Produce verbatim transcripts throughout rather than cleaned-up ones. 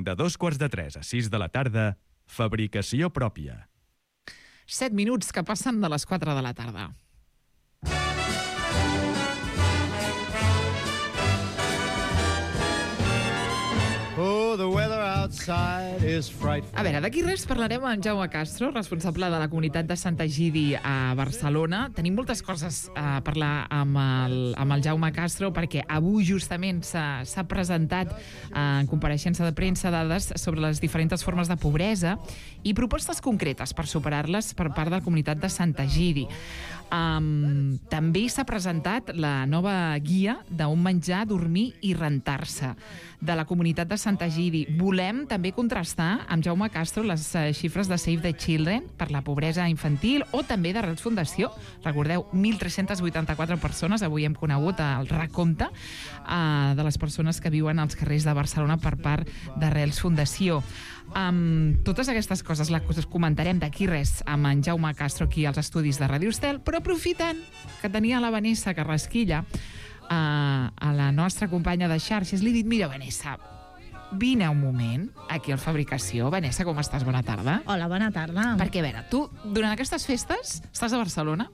De dos quarts de tres a sis de la tarda, fabricació pròpia. Set minuts que passen de les quatre de la tarda. Oh, the weather outside is frightful. A veure, d'aquí res parlarem amb Jaume Castro, responsable de la comunitat de Sant Egidi a Barcelona. Tenim moltes coses a parlar amb el, amb el Jaume Castro perquè avui justament s'ha presentat en compareixença de premsa dades sobre les diferents formes de pobresa i propostes concretes per superar-les per part de la comunitat de Sant Egidi. Um, també s'ha presentat la nova guia d'on menjar, dormir i rentar-se de la comunitat de Sant Egidi. Volem també contrastar amb Jaume Castro les uh, xifres de Save the Children per la pobresa infantil o també de Rels Fundació. Recordeu, mil tres-cents vuitanta-quatre persones, avui hem conegut el recompte uh, de les persones que viuen als carrers de Barcelona per part de Rels Fundació. Um, totes aquestes coses les comentarem d'aquí res amb en Jaume Castro aquí als estudis de Ràdio Estel, però aprofitant que tenia la Vanessa Carrasquilla uh, a la nostra companya de xarxes, li he dit, mira Vanessa, vine un moment aquí al Fabricació. Vanessa, com estàs? Bona tarda. Hola, bona tarda. Perquè, a veure, tu durant aquestes festes estàs a Barcelona?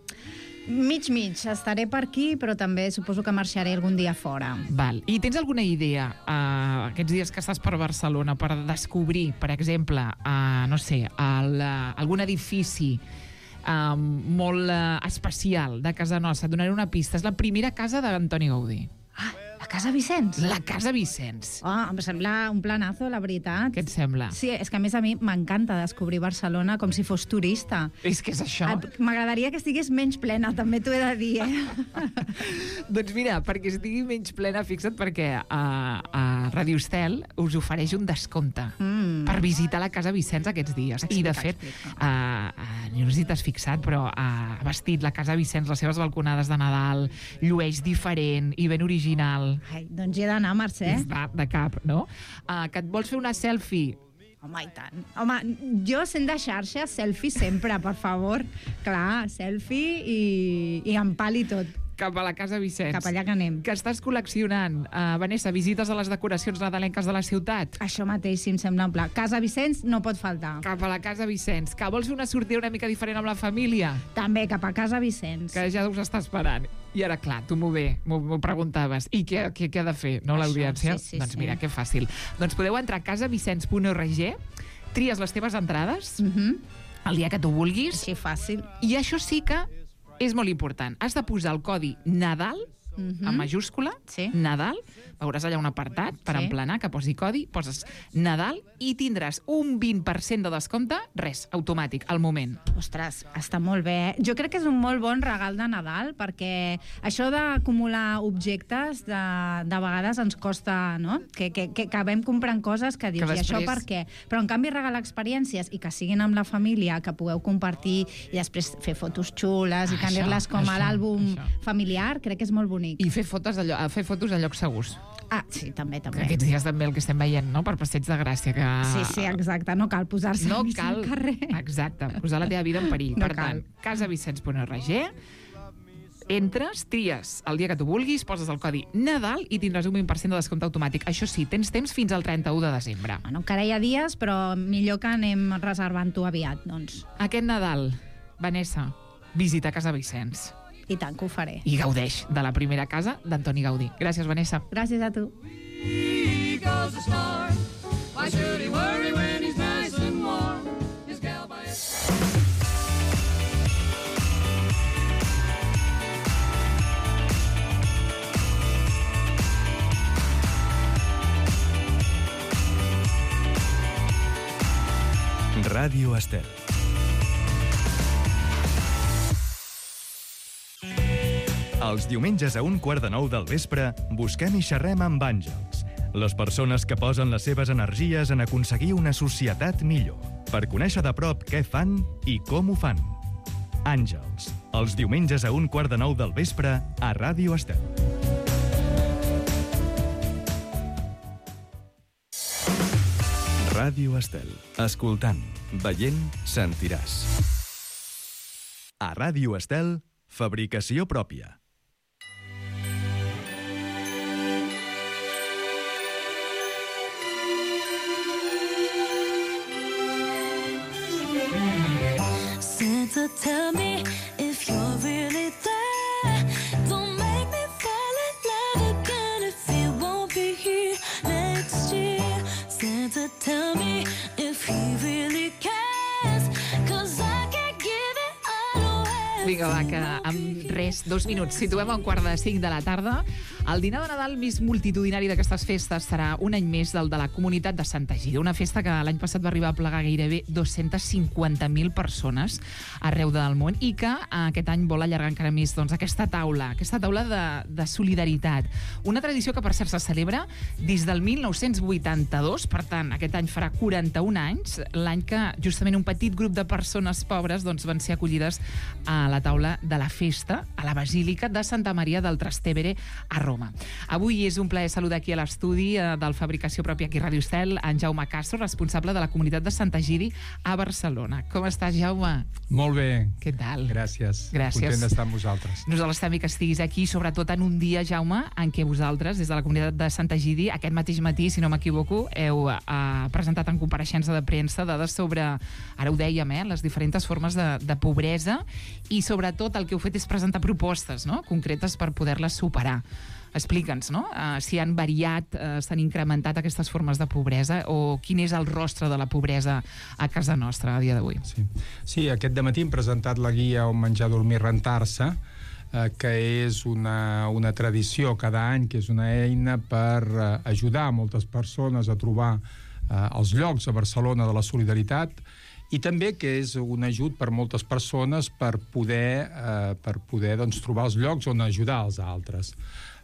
Mig, mig. Estaré per aquí, però també suposo que marxaré algun dia fora. Val. I tens alguna idea, uh, aquests dies que estàs per Barcelona, per descobrir, per exemple, uh, no sé, el, uh, algun edifici uh, molt uh, especial de casa nostra? Et donaré una pista. És la primera casa d'Antoni Gaudí. Ah, la Casa Vicenç? La Casa Vicenç. Oh, em sembla un planazo, la veritat. Què et sembla? Sí, és que a més a mi m'encanta descobrir Barcelona com si fos turista. És que és això. M'agradaria que estigués menys plena, també t'ho he de dir, eh? Doncs mira, perquè estigui menys plena, fixa't, perquè a, a Radio Estel us ofereix un descompte mm. per visitar la Casa Vicenç aquests dies. Explica, I, de fet, a, a, no sé si t'has fixat, però ha vestit la Casa Vicenç, les seves balconades de Nadal, llueix diferent i ben original. Ai, doncs hi he d'anar, Mercè. Va, de cap, no? Uh, que et vols fer una selfie? Home, i tant. Home, jo sent de xarxa, selfie sempre, per favor. Clar, selfie i, i amb pal i tot. Cap a la Casa Vicenç. Cap allà que anem. Que estàs col·leccionant. Uh, Vanessa, visites a les decoracions nadalenques de la ciutat? Això mateix, si em sembla en pla. Casa Vicenç no pot faltar. Cap a la Casa Vicenç. Que vols fer una sortida una mica diferent amb la família? També, cap a Casa Vicenç. Que ja us està esperant. I ara, clar, tu m'ho bé, m'ho preguntaves. I què, què, què ha de fer, no, l'audiència? Sí, sí, doncs sí. mira, que fàcil. Doncs podeu entrar a casa vicenç punt org, tries les teves entrades, Mm-hmm. el dia que tu vulguis. Així fàcil. I això sí que és molt important. Has de posar el codi Nadal, Mm-hmm. en majúscula, Sí. Nadal, veuràs allà un apartat per Sí. emplenar, que posi codi, poses Nadal i tindràs un vint per cent de descompte, res, automàtic, al moment. Ostres, està molt bé. Eh? Jo crec que és un molt bon regal de Nadal, perquè això d'acumular objectes de, de vegades ens costa, no? Que, que, que acabem comprant coses que dius, Que i això després- per què? Però en canvi regalar experiències i que siguin amb la família, que pugueu compartir i després fer fotos xules i Això, tenir-les com a això, l'àlbum això. familiar, crec que és molt bonic. I fer fotos, de lloc, fer fotos a llocs segurs. Ah, sí, també, Que també. aquests dies també el que estem veient, no?, per Passeig de Gràcia. Que... Sí, sí, exacte. No cal posar-se No al mig cal, del carrer. exacte, posar la teva vida en perill. No Per cal. tant, casa vicenç punt org, entres, tries el dia que tu vulguis, poses el codi Nadal i tindràs un vint per cent de descompte automàtic. Això sí, tens temps fins al trenta-u de desembre. Bueno, encara hi ha dies, però millor que anem reservant-ho aviat, doncs. Aquest Nadal, Vanessa, visita Casa Vicenç I tant que ho faré. i gaudeix de la primera casa d'Antoni Gaudí. Gràcies, Vanessa. Gràcies a tu. Eagle's a star. Why should he worry when he's nice and warm? His gal by Ràdio Estel. Els diumenges a un quart de nou del vespre busquem i xerrem amb àngels, les persones que posen les seves energies en aconseguir una societat millor, per conèixer de prop què fan i com ho fan. Àngels, els diumenges a un quart de nou del vespre a Ràdio Estel. Ràdio Estel. Escoltant, veient, sentiràs. A Ràdio Estel, fabricació pròpia. Vinga, va, que en res, dos minuts, situem a un quart de cinc de la tarda. El dinar de Nadal més multitudinari d'aquestes festes serà un any més del de la comunitat de Santa Egídia, una festa que l'any passat va arribar a plegar gairebé dos-centes cinquanta mil persones arreu del món i que aquest any vol allargar encara més doncs, aquesta taula, aquesta taula de, de solidaritat. Una tradició que, per cert, se celebra des del mil nou-cents vuitanta-dos, per tant, aquest any farà quaranta-un anys, l'any que justament un petit grup de persones pobres doncs, van ser acollides a la taula de la festa a la Basílica de Santa Maria del Trastevere a Roma. Avui és un plaer saludar aquí a l'estudi eh, del Fabricació Pròpia aquí a Ràdio Estel, en Jaume Castro, responsable de la comunitat de Santa Egidi a Barcelona. Com estàs, Jaume? Molt bé. Què tal? Gràcies. Gràcies. Content d'estar amb vosaltres. Nosaltres també que estiguis aquí, sobretot en un dia, Jaume, en què vosaltres, des de la comunitat de Santa Egidi, aquest mateix matí, si no m'equivoco, heu eh, presentat en compareixença de premsa dades sobre, ara ho dèiem, eh, les diferents formes de, de pobresa i sobretot el que heu fet és presentar propostes, no?, concretes per poder-les superar. Explica'ns, no?, uh, si han variat, uh, s'han incrementat aquestes formes de pobresa o quin és el rostre de la pobresa a casa nostra a dia d'avui. Sí. sí, aquest dematí hem presentat la guia On menjar, dormir, rentar-se, eh, que és una, una tradició cada any, que és una eina per eh, ajudar moltes persones a trobar eh, els llocs a Barcelona de la solidaritat i també que és un ajut per moltes persones per poder, eh, per poder doncs, trobar els llocs on ajudar els altres.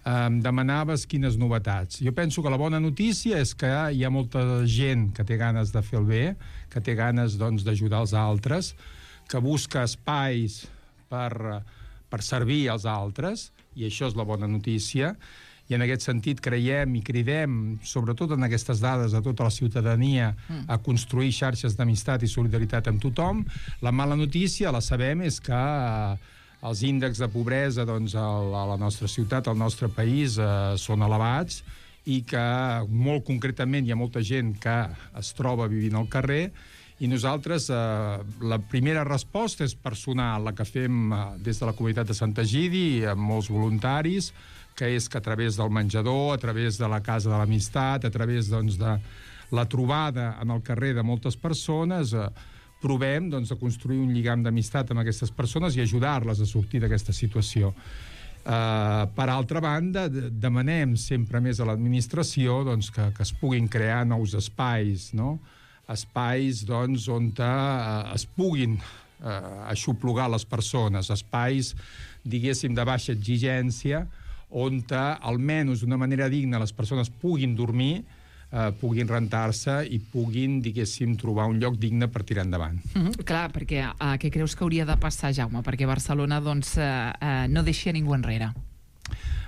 Em demanaves quines novetats. Jo penso que la bona notícia és que hi ha molta gent que té ganes de fer el bé, que té ganes doncs, d'ajudar els altres, que busca espais per, per servir als altres, i això és la bona notícia, i en aquest sentit creiem i cridem, sobretot en aquestes dades, a tota la ciutadania a construir xarxes d'amistat i solidaritat amb tothom. La mala notícia, la sabem, és que els índexs de pobresa doncs, a la nostra ciutat, al nostre país, eh, són elevats i que molt concretament hi ha molta gent que es troba vivint al carrer i nosaltres eh, la primera resposta és personal, la que fem eh, des de la comunitat de Santa Egidi, amb molts voluntaris, que és que a través del menjador, a través de la Casa de l'Amistat, a través doncs, de la trobada en el carrer de moltes persones, eh, provem doncs, de construir un lligam d'amistat amb aquestes persones i ajudar-les a sortir d'aquesta situació. Uh, per altra banda, demanem sempre més a l'administració doncs, que, que es puguin crear nous espais, no? Espais doncs, on uh, es puguin uh, aixoplugar les persones, espais, diguéssim, de baixa exigència, on almenys d'una manera digna les persones puguin dormir, Uh, puguin rentar-se i puguin, diguéssim, trobar un lloc digne per tirar endavant. Mm-hmm. Clar, perquè uh, què creus que hauria de passar, Jaume? Perquè Barcelona doncs, uh, uh, no deixi a ningú enrere.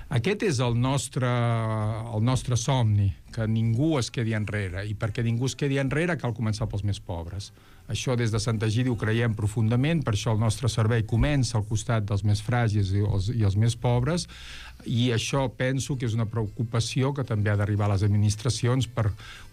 Aquest és el nostre, el nostre somni, que ningú es quedi enrere. I perquè ningú es quedi enrere cal començar pels més pobres. Això des de Santa Egidi ho creiem profundament, per això el nostre servei comença al costat dels més fràgils i els, i els més pobres, i això penso que és una preocupació que també ha d'arribar a les administracions per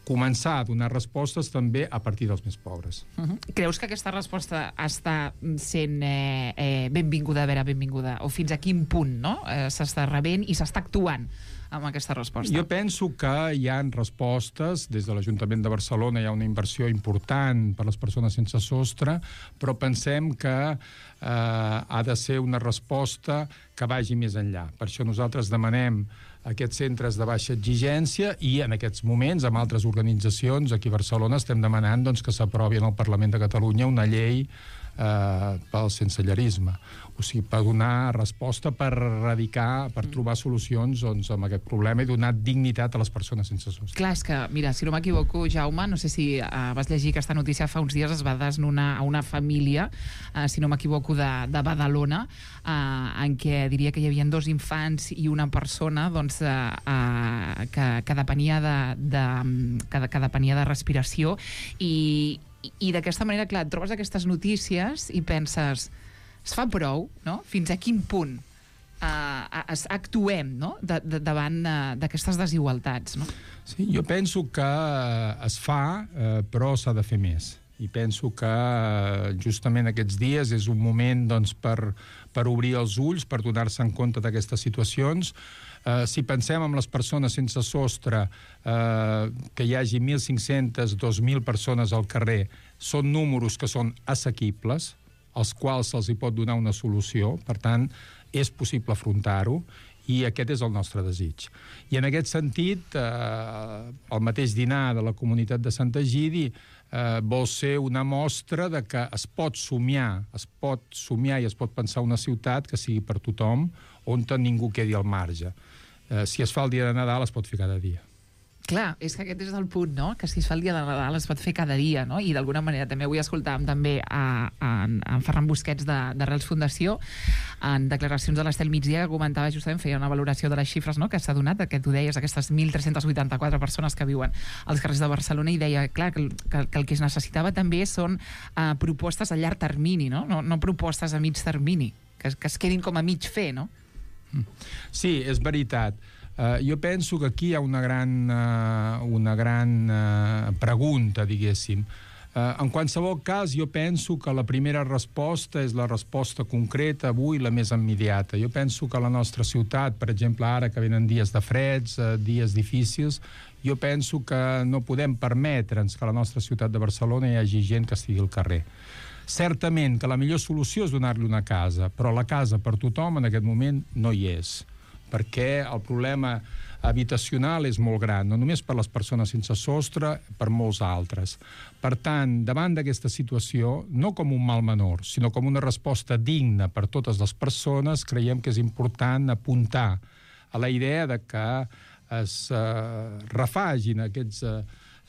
començar a donar respostes també a partir dels més pobres. Uh-huh. Creus que aquesta resposta està sent eh, eh, benvinguda, a veure, benvinguda, o fins a quin punt, no? Eh, s'està rebent i s'està actuant amb aquesta resposta? Jo penso que hi ha respostes. Des de l'Ajuntament de Barcelona hi ha una inversió important per a les persones sense sostre, però pensem que eh, ha de ser una resposta que vagi més enllà. Per això nosaltres demanem aquests centres de baixa exigència i en aquests moments, amb altres organitzacions, aquí a Barcelona estem demanant doncs, que s'aprovi en el Parlament de Catalunya una llei eh, pel sensellarisme. O sigui, per donar resposta, per erradicar, per trobar solucions doncs, amb aquest problema i donar dignitat a les persones sense sostre. Clar, és que, mira, si no m'equivoco, Jaume, no sé si uh, vas llegir aquesta notícia fa uns dies, es va desnonar a una família, uh, si no m'equivoco, de, de Badalona, uh, en què diria que hi havia dos infants i una persona doncs, uh, uh, que, que, depenia de, de, que, que depenia de respiració i, i, i d'aquesta manera, clar, et trobes aquestes notícies i penses, es fa prou, no? Fins a quin punt uh, actuem, no? de, de, davant uh, d'aquestes desigualtats, no? Sí, jo penso que es fa, eh, però s'ha de fer més. I penso que eh, justament aquests dies és un moment doncs, per, per obrir els ulls, per donar-se en compte d'aquestes situacions. Eh, si pensem en les persones sense sostre, eh, que hi hagi mil cinc-centes, dos mil persones al carrer, són números que són assequibles, als quals se'ls hi pot donar una solució. Per tant, és possible afrontar-ho, i aquest és el nostre desig. I en aquest sentit, eh, el mateix dinar de la comunitat de Sant Egidi eh, vol ser una mostra de que es pot somiar, es pot somiar i es pot pensar una ciutat que sigui per tothom, on ningú quedi al marge. Eh, si es fa el dia de Nadal, es pot fer cada dia. Clar, és que aquest és el punt, no? Que si es fa el dia de Nadal es pot fer cada dia, no? I d'alguna manera també avui escoltàvem també a, a, a Ferran Busquets de, de Reals Fundació en declaracions de l'Estel Migdia, que comentava justament, feia una valoració de les xifres, no?, que s'ha donat, que tu deies, aquestes mil tres-cents vuitanta-quatre persones que viuen als carrers de Barcelona, i deia, clar, que, que, que el que es necessitava també són uh, propostes a llarg termini, no? No, no propostes a mig termini, que, que es quedin com a mig fer, no? Sí, és veritat. Uh, jo penso que aquí hi ha una gran, uh, una gran uh, pregunta, diguéssim. Uh, en qualsevol cas, jo penso que la primera resposta és la resposta concreta, avui la més immediata. Jo penso que la nostra ciutat, per exemple, ara que venen dies de freds, uh, dies difícils, jo penso que no podem permetre'ns que a la nostra ciutat de Barcelona hi hagi gent que estigui al carrer. Certament que la millor solució és donar-li una casa, però la casa per tothom en aquest moment no hi és, perquè el problema habitacional és molt gran, no només per les persones sense sostre, per molts altres. Per tant, davant d'aquesta situació, no com un mal menor, sinó com una resposta digna per totes les persones, creiem que és important apuntar a la idea de que es eh, refagin aquests eh,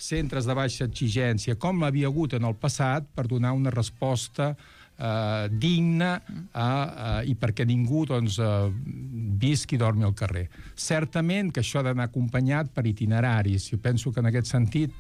centres de baixa exigència, com l'havia hagut en el passat, per donar una resposta Uh, digna uh, uh, i perquè ningú doncs, uh, visqui i dormi al carrer. Certament que això ha d'anar acompanyat per itineraris. Jo penso que en aquest sentit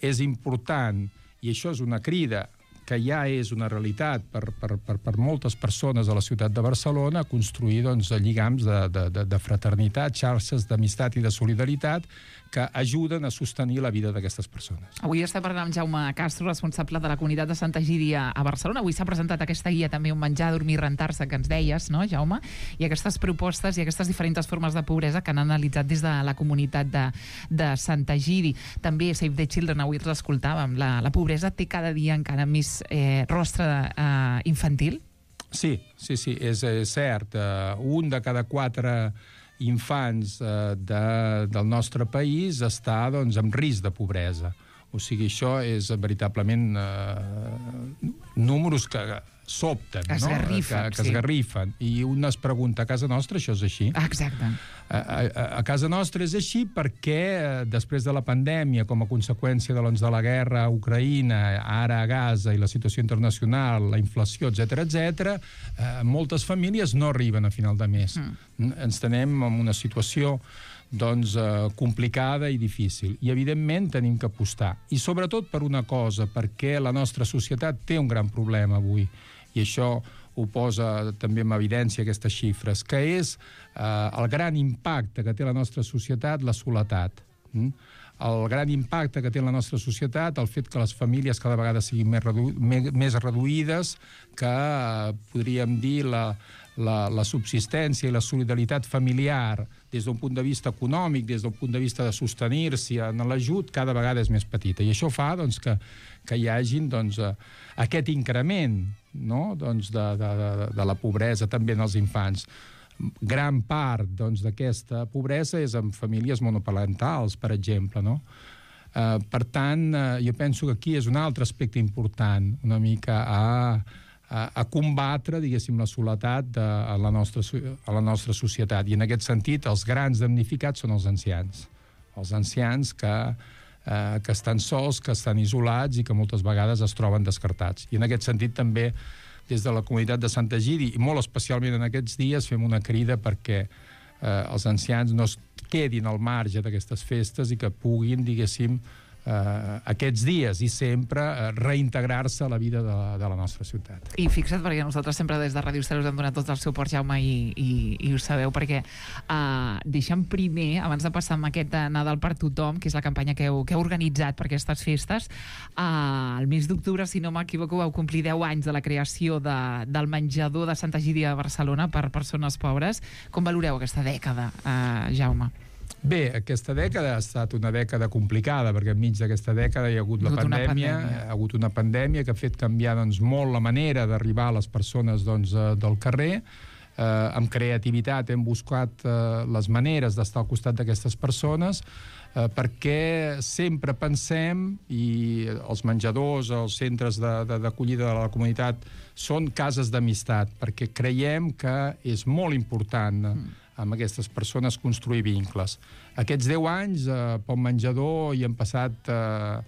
és important, i això és una crida que ja és una realitat per, per, per, per moltes persones a la ciutat de Barcelona, construir doncs, lligams de, de, de, de fraternitat, xarxes d'amistat i de solidaritat que ajuden a sostenir la vida d'aquestes persones. Avui estem parlant amb Jaume Castro, responsable de la comunitat de Sant Egidi a Barcelona. Avui s'ha presentat aquesta guia també, un menjar, dormir, rentar-se, que ens deies, no, Jaume? I aquestes propostes i aquestes diferents formes de pobresa que han analitzat des de la comunitat de, de Sant Egidi. També Save the Children, avui els escoltàvem. La, la pobresa té cada dia encara més eh, rostre eh, infantil? Sí, sí, sí, és, és cert. Uh, un de cada quatre infants eh, de, del nostre país està doncs, en risc de pobresa. O sigui, això és veritablement eh, números que sobten, que esgarrifen, no? que, que sí. esgarrifen. I un es pregunta, a casa nostra això és així? Exacte. A, a, a casa nostra és així perquè eh, després de la pandèmia, com a conseqüència de, doncs, de la guerra a Ucraïna, ara a Gaza i la situació internacional, la inflació, etcètera, etcètera, eh, moltes famílies no arriben a final de mes. Mm. Ens tenem en una situació doncs, eh, complicada i difícil. I, evidentment, tenim que apostar. I, sobretot, per una cosa, perquè la nostra societat té un gran problema avui, i això ho posa també en evidència aquestes xifres, que és eh, el gran impacte que té la nostra societat, la soledat. Mm? El gran impacte que té la nostra societat, el fet que les famílies cada vegada siguin més, redu més, més reduïdes, que eh, podríem dir la, la, la subsistència i la solidaritat familiar des d'un punt de vista econòmic, des d'un punt de vista de sostenir-s'hi en l'ajut, cada vegada és més petita. I això fa doncs, que, que hi hagin doncs, aquest increment, no? doncs, de, de, de, de la pobresa també en els infants. Gran part doncs, d'aquesta pobresa és en famílies monoparentals, per exemple, no? Uh, per tant, uh, jo penso que aquí és un altre aspecte important, una mica a, a, a combatre, diguéssim, la soledat de, a, la nostra, a la nostra societat. I en aquest sentit, els grans damnificats són els ancians. Els ancians que, uh, que estan sols, que estan isolats i que moltes vegades es troben descartats. I en aquest sentit també des de la comunitat de Sant Egidi, i molt especialment en aquests dies, fem una crida perquè eh, els ancians no es quedin al marge d'aquestes festes i que puguin, diguéssim, eh, aquests dies i sempre eh, reintegrar-se a la vida de la, de la nostra ciutat. I fixa't, perquè nosaltres sempre des de Ràdio Estel us hem donat tot el suport, Jaume, i, i, i ho sabeu, perquè uh, deixem primer, abans de passar amb aquest Nadal per tothom, que és la campanya que heu, que heu organitzat per aquestes festes, uh, el mes d'octubre, si no m'equivoco, vau complir deu anys de la creació de, del menjador de Sant Egidi a Barcelona per persones pobres. Com valoreu aquesta dècada, uh, Jaume? Bé, aquesta dècada ha estat una dècada complicada, perquè enmig d'aquesta dècada hi ha hagut la pandèmia, pandèmia, ha hagut una pandèmia que ha fet canviar doncs, molt la manera d'arribar a les persones doncs, del carrer. Eh, amb creativitat hem buscat eh, les maneres d'estar al costat d'aquestes persones, eh, perquè sempre pensem, i els menjadors, els centres d'acollida de, de, de la comunitat són cases d'amistat, perquè creiem que és molt important mm. amb aquestes persones construir vincles. Aquests deu anys, eh, pel menjador, hi han passat eh,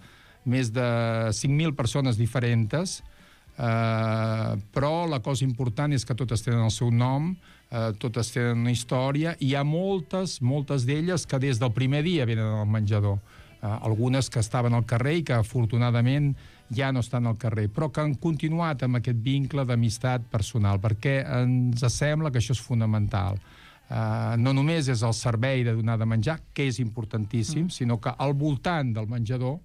més de cinc mil persones diferents, eh, però la cosa important és que totes tenen el seu nom, eh, totes tenen una història, i hi ha moltes, moltes d'elles que des del primer dia venen al menjador. Eh, algunes que estaven al carrer i que, afortunadament, ja no estan al carrer, però que han continuat amb aquest vincle d'amistat personal, perquè ens sembla que això és fonamental. Uh, no només és el servei de donar de menjar, que és importantíssim, mm. sinó que al voltant del menjador,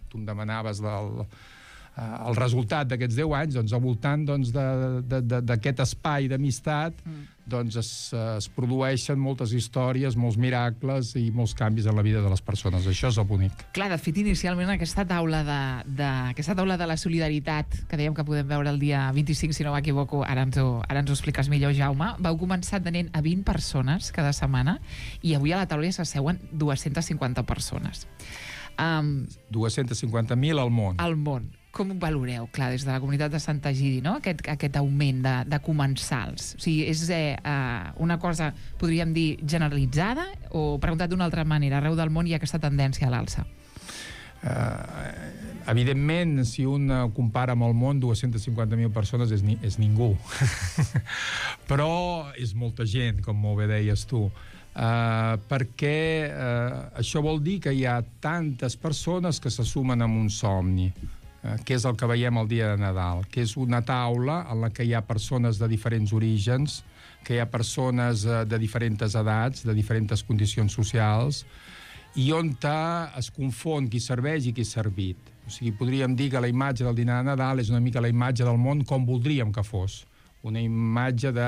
tu em demanaves del, uh, el resultat d'aquests deu anys, doncs al voltant doncs, d'aquest espai d'amistat mm. doncs es, es produeixen moltes històries, molts miracles i molts canvis en la vida de les persones. Això és el bonic. Clar, de fet, inicialment aquesta taula de, de, aquesta taula de la solidaritat, que dèiem que podem veure el dia vint-i-cinc, si no m'equivoco, ara, ens ho, ara ens ho expliques millor, Jaume, vau començar tenint a vint persones cada setmana i avui a la taula ja s'asseuen dues-centes cinquanta persones. Um, dues-centes cinquanta mil al món. Al món. Com ho valoreu, clar, des de la comunitat de Sant Egidi, no? aquest, aquest augment de, de comensals? O sigui, és eh, uh, una cosa, podríem dir, generalitzada, o preguntat d'una altra manera, arreu del món hi ha aquesta tendència a l'alça? Uh, evidentment, si un uh, compara amb el món, dues-centes cinquanta mil persones és, ni, és ningú. Però és molta gent, com molt bé deies tu. Uh, perquè uh, això vol dir que hi ha tantes persones que se sumen amb un somni, que és el que veiem el dia de Nadal, que és una taula en la que hi ha persones de diferents orígens, que hi ha persones de diferents edats, de diferents condicions socials, i on es confon qui serveix i qui és servit. O sigui, podríem dir que la imatge del dinar de Nadal és una mica la imatge del món com voldríem que fos. Una imatge de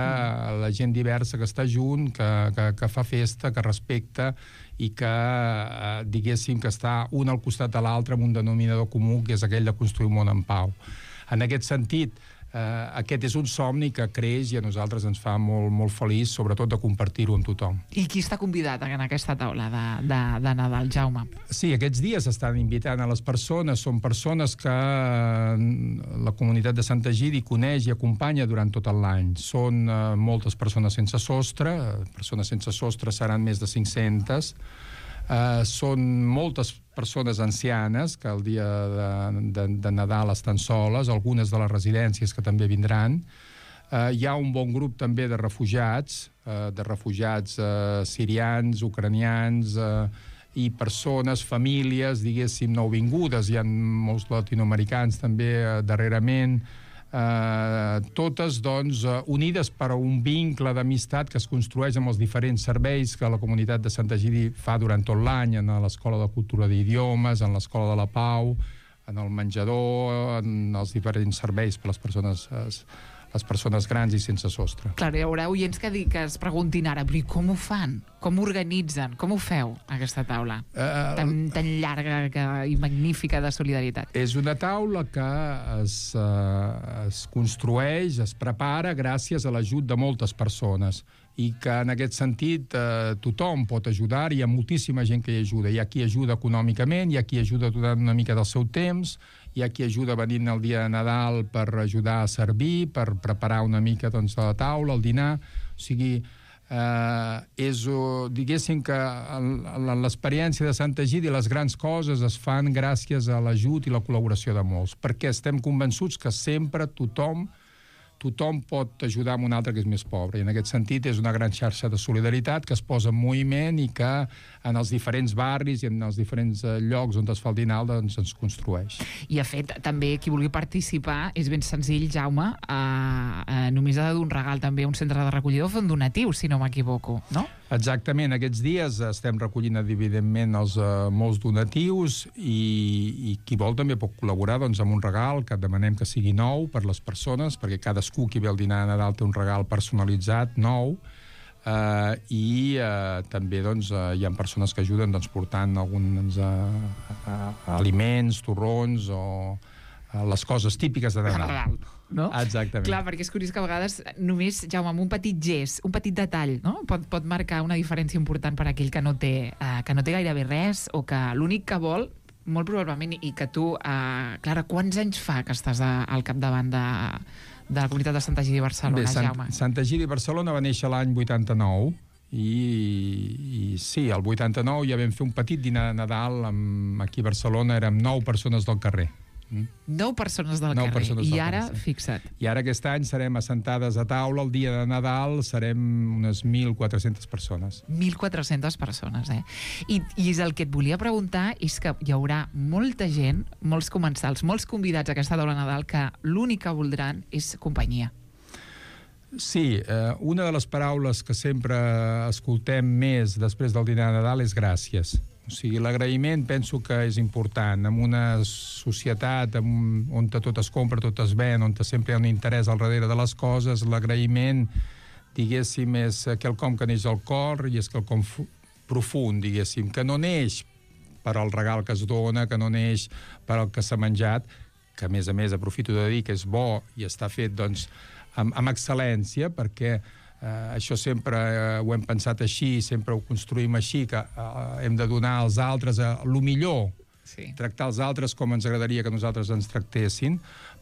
la gent diversa que està junt, que, que, que fa festa, que respecta i que, eh, diguéssim, que està un al costat de l'altre amb un denominador comú, que és aquell de construir un món en pau. En aquest sentit, eh, aquest és un somni que creix i a nosaltres ens fa molt, molt feliç, sobretot de compartir-ho amb tothom. I qui està convidat en aquesta taula de, de, de Nadal, Jaume? Sí, aquests dies estan invitant a les persones, són persones que la comunitat de Sant Egidi coneix i acompanya durant tot l'any. Són eh, moltes persones sense sostre, persones sense sostre seran més de cinc-centes, Uh, són moltes persones ancianes que el dia de, de, de Nadal estan soles, algunes de les residències que també vindran. Uh, hi ha un bon grup també de refugiats, uh, de refugiats uh, sirians, ucranians uh, i persones, famílies, diguéssim, nouvingudes. Hi ha molts latinoamericans també uh, darrerament. Uh, totes, doncs, uh, unides per un vincle d'amistat que es construeix amb els diferents serveis que la comunitat de Sant Egidi fa durant tot l'any, en l'Escola de Cultura d'Idiomes, en l'Escola de la Pau, en el menjador, en els diferents serveis per les persones, les persones grans i sense sostre. Clar, hi haurà oients que, di, que es preguntin ara, però com ho fan? Com ho organitzen? Com ho feu, aquesta taula? Uh, tan, tan llarga que, i magnífica de solidaritat. És una taula que es, uh, es construeix, es prepara gràcies a l'ajut de moltes persones i que en aquest sentit eh, tothom pot ajudar, hi ha moltíssima gent que hi ajuda. Hi ha qui ajuda econòmicament, hi ha qui ajuda donant una mica del seu temps, hi ha qui ajuda venint el dia de Nadal per ajudar a servir, per preparar una mica doncs, de la taula, el dinar. O sigui, eh, és, diguéssim que l'experiència de Sant Egidi, les grans coses es fan gràcies a l'ajut i la col·laboració de molts, perquè estem convençuts que sempre tothom tothom pot ajudar amb un altre que és més pobre. I en aquest sentit és una gran xarxa de solidaritat que es posa en moviment i que en els diferents barris i en els diferents llocs on es fa el dinar doncs ens construeix. I, de fet, també qui vulgui participar és ben senzill, Jaume, eh, eh, només ha de dur un regal també a un centre de recollida o fer un donatiu, si no m'equivoco, no? Exactament. Aquests dies estem recollint, evidentment, els uh, molts donatius i, i qui vol també pot col·laborar doncs, amb un regal que demanem que sigui nou per les persones, perquè cadascú qui ve al dinar de Nadal té un regal personalitzat, nou. Uh, i uh, també doncs, uh, hi ha persones que ajuden doncs, portant alguns uh, uh, aliments, torrons o uh, les coses típiques de Nadal. No? Exactament. Clar, perquè és curiós que a vegades només, Jaume, amb un petit gest, un petit detall, no? pot, pot marcar una diferència important per a aquell que no té, uh, que no té gairebé res o que l'únic que vol, molt probablement, i que tu, uh, Clara, quants anys fa que estàs a, al capdavant de, de la comunitat de Santa Egidi de Barcelona, Bé, Sant, Jaume? Santa Egidi de Barcelona va néixer l'any vuitanta-nou i, i sí, el vuitanta-nou ja vam fer un petit dinar de Nadal amb, aquí a Barcelona, érem nou persones del carrer. Mm? Nou persones del Nou carrer. persones I del ara, carrer, sí. fixa't. I ara aquest any serem assentades a taula, el dia de Nadal serem unes mil quatre-centes persones. mil quatre-centes persones, eh? I, I és el que et volia preguntar és que hi haurà molta gent, molts comensals, molts convidats a aquesta taula de Nadal que l'únic que voldran és companyia. Sí, eh, una de les paraules que sempre escoltem més després del dinar de Nadal és gràcies. O sigui, l'agraïment penso que és important. En una societat on tot es compra, tot es ven, on sempre hi ha un interès al darrere de les coses, l'agraïment, diguéssim, és quelcom que neix al cor i és quelcom profund, diguéssim, que no neix per al regal que es dona, que no neix per al que s'ha menjat, que a més a més aprofito de dir que és bo i està fet, doncs, amb, amb excel·lència, perquè Uh, això sempre uh, ho hem pensat així, sempre ho construïm així, que uh, hem de donar als altres uh, el millor, sí. Tractar els altres com ens agradaria que nosaltres ens tractessin,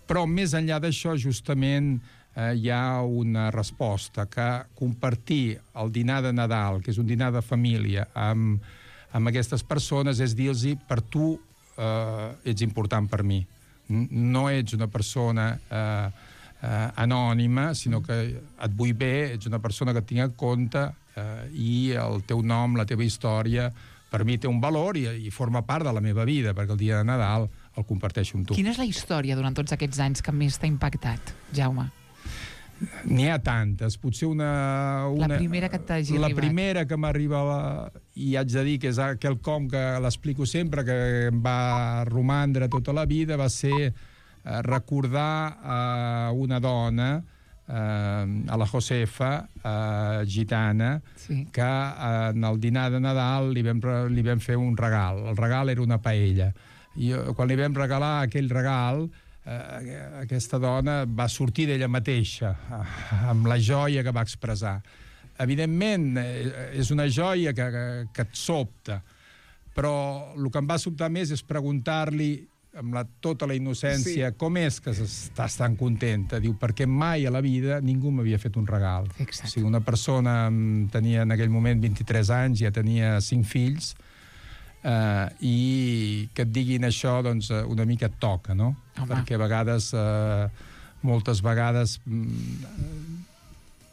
però més enllà d'això justament uh, hi ha una resposta, que compartir el dinar de Nadal, que és un dinar de família, amb, amb aquestes persones és dir-los per tu uh, ets important per mi. No ets una persona Uh, Uh, anònima, sinó que et vull bé, ets una persona que et tinc en compte uh, i el teu nom, la teva història, per mi té un valor i, i forma part de la meva vida, perquè el dia de Nadal el comparteixo amb tu. Quina és la història durant tots aquests anys que més t'ha impactat, Jaume? N'hi ha tantes. Potser una... una la primera que t'hagi La arribat. primera que m'arriba, i haig de dir que és quelcom que l'explico sempre, que em va romandre tota la vida, va ser recordar a una dona, a la Josefa, gitana, sí. que en el dinar de Nadal li vam, li vam fer un regal. El regal era una paella. I quan li vam regalar aquell regal, eh, aquesta dona va sortir d'ella mateixa, amb la joia que va expressar. Evidentment, és una joia que, que, que et sobta, però el que em va sobtar més és preguntar-li amb la, tota la innocència, sí. Com és que estàs tan contenta? Diu, perquè mai a la vida ningú m'havia fet un regal. Exacte. O sigui, una persona tenia en aquell moment vint-i-tres anys, ja tenia cinc fills, eh, i que et diguin això, doncs, una mica et toca, no? Home. Perquè a vegades, eh, moltes vegades,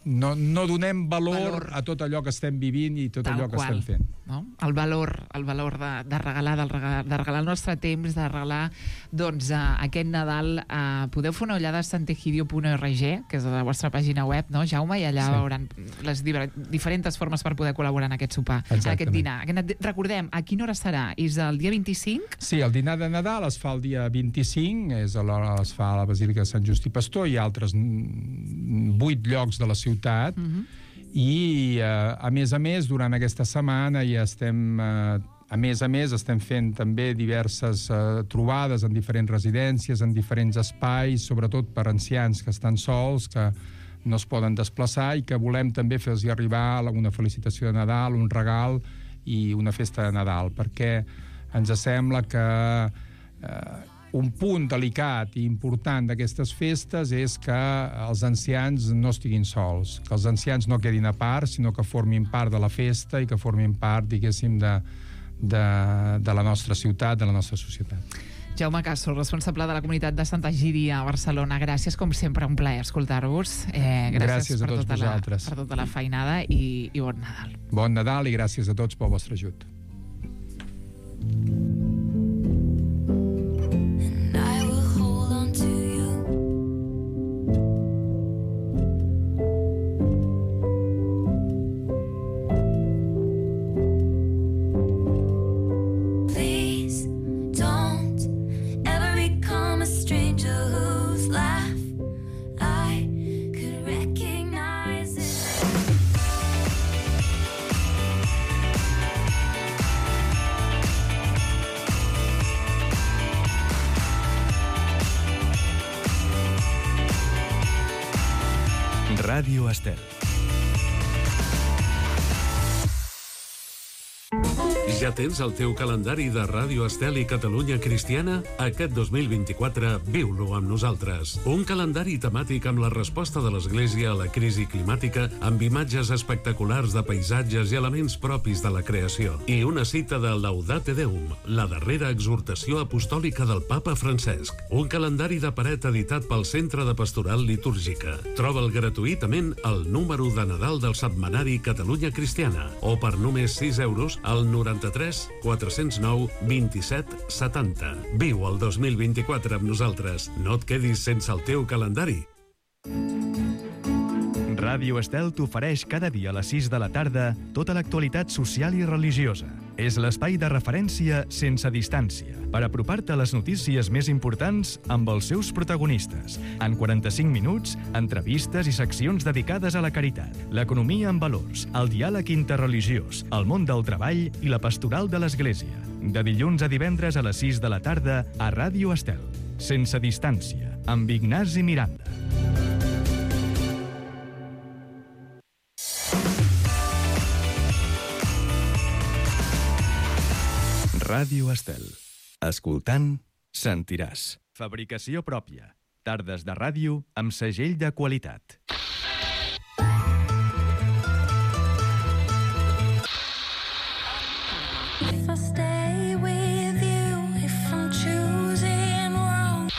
no, no donem valor, valor a tot allò que estem vivint i tot Tal allò que qual, estem fent. No? El valor, el valor de, de, regalar, de, regalar, de regalar el nostre temps, de regalar doncs, uh, aquest Nadal. Uh, podeu fer una ullada a santegidio punt org, que és la vostra pàgina web, no, Jaume? I allà sí. Veuran les diferents formes per poder col·laborar en aquest sopar, Exactament. en aquest dinar. Aquest, recordem, a quina hora serà? És el dia vint-i-cinc? Sí, el dinar de Nadal es fa el dia vint-i-cinc, és a l'hora es fa a la Basílica de Sant Just i Pastor, hi ha altres vuit llocs de la ciutat, mm-hmm. i eh, a més a més durant aquesta setmana ja estem eh, a més a més estem fent també diverses eh, trobades en diferents residències, en diferents espais, sobretot per ancians que estan sols, que no es poden desplaçar i que volem també fer-los arribar una felicitació de Nadal, un regal i una festa de Nadal, perquè ens sembla que eh, un punt delicat i important d'aquestes festes és que els ancians no estiguin sols, que els ancians no quedin a part, sinó que formin part de la festa i que formin part, diguéssim, de, de, de la nostra ciutat, de la nostra societat. Jaume Castro, responsable de la comunitat de Santa Egidi a Barcelona. Gràcies, com sempre, un plaer escoltar-vos. Eh, gràcies gràcies a per tots tota vosaltres. La, per tota la feinada i, i bon Nadal. Bon Nadal i gràcies a tots pel vostre ajut. Ràdio Estel. Ja tens el teu calendari de Ràdio Estel i Catalunya Cristiana? Aquest dos mil vint-i-quatre viu-lo amb nosaltres. Un calendari temàtic amb la resposta de l'Església a la crisi climàtica, amb imatges espectaculars de paisatges i elements propis de la creació. I una cita de Laudate Deum, la darrera exhortació apostòlica del papa Francesc. Un calendari de paret editat pel Centre de Pastoral Litúrgica. Troba'l gratuïtament al número de Nadal del setmanari Catalunya Cristiana o per només sis euros al noranta-tres quatre-cents nou vint-i-set setanta. Viu el dos mil vint-i-quatre amb nosaltres. No et quedis sense el teu calendari. Ràdio Estel t'ofereix cada dia a les sis de la tarda tota l'actualitat social i religiosa. És l'espai de referència sense distància, per apropar-te a les notícies més importants amb els seus protagonistes. En quaranta-cinc minuts, entrevistes i seccions dedicades a la caritat, l'economia en valors, el diàleg interreligiós, el món del treball i la pastoral de l'Església. De dilluns a divendres a les sis de la tarda a Ràdio Estel. Sense distància, amb Ignasi Miranda. Ràdio Estel. Escoltant, sentiràs. Fabricació pròpia. Tardes de ràdio amb segell de qualitat. If I stay with you, if I'm choosing wrong.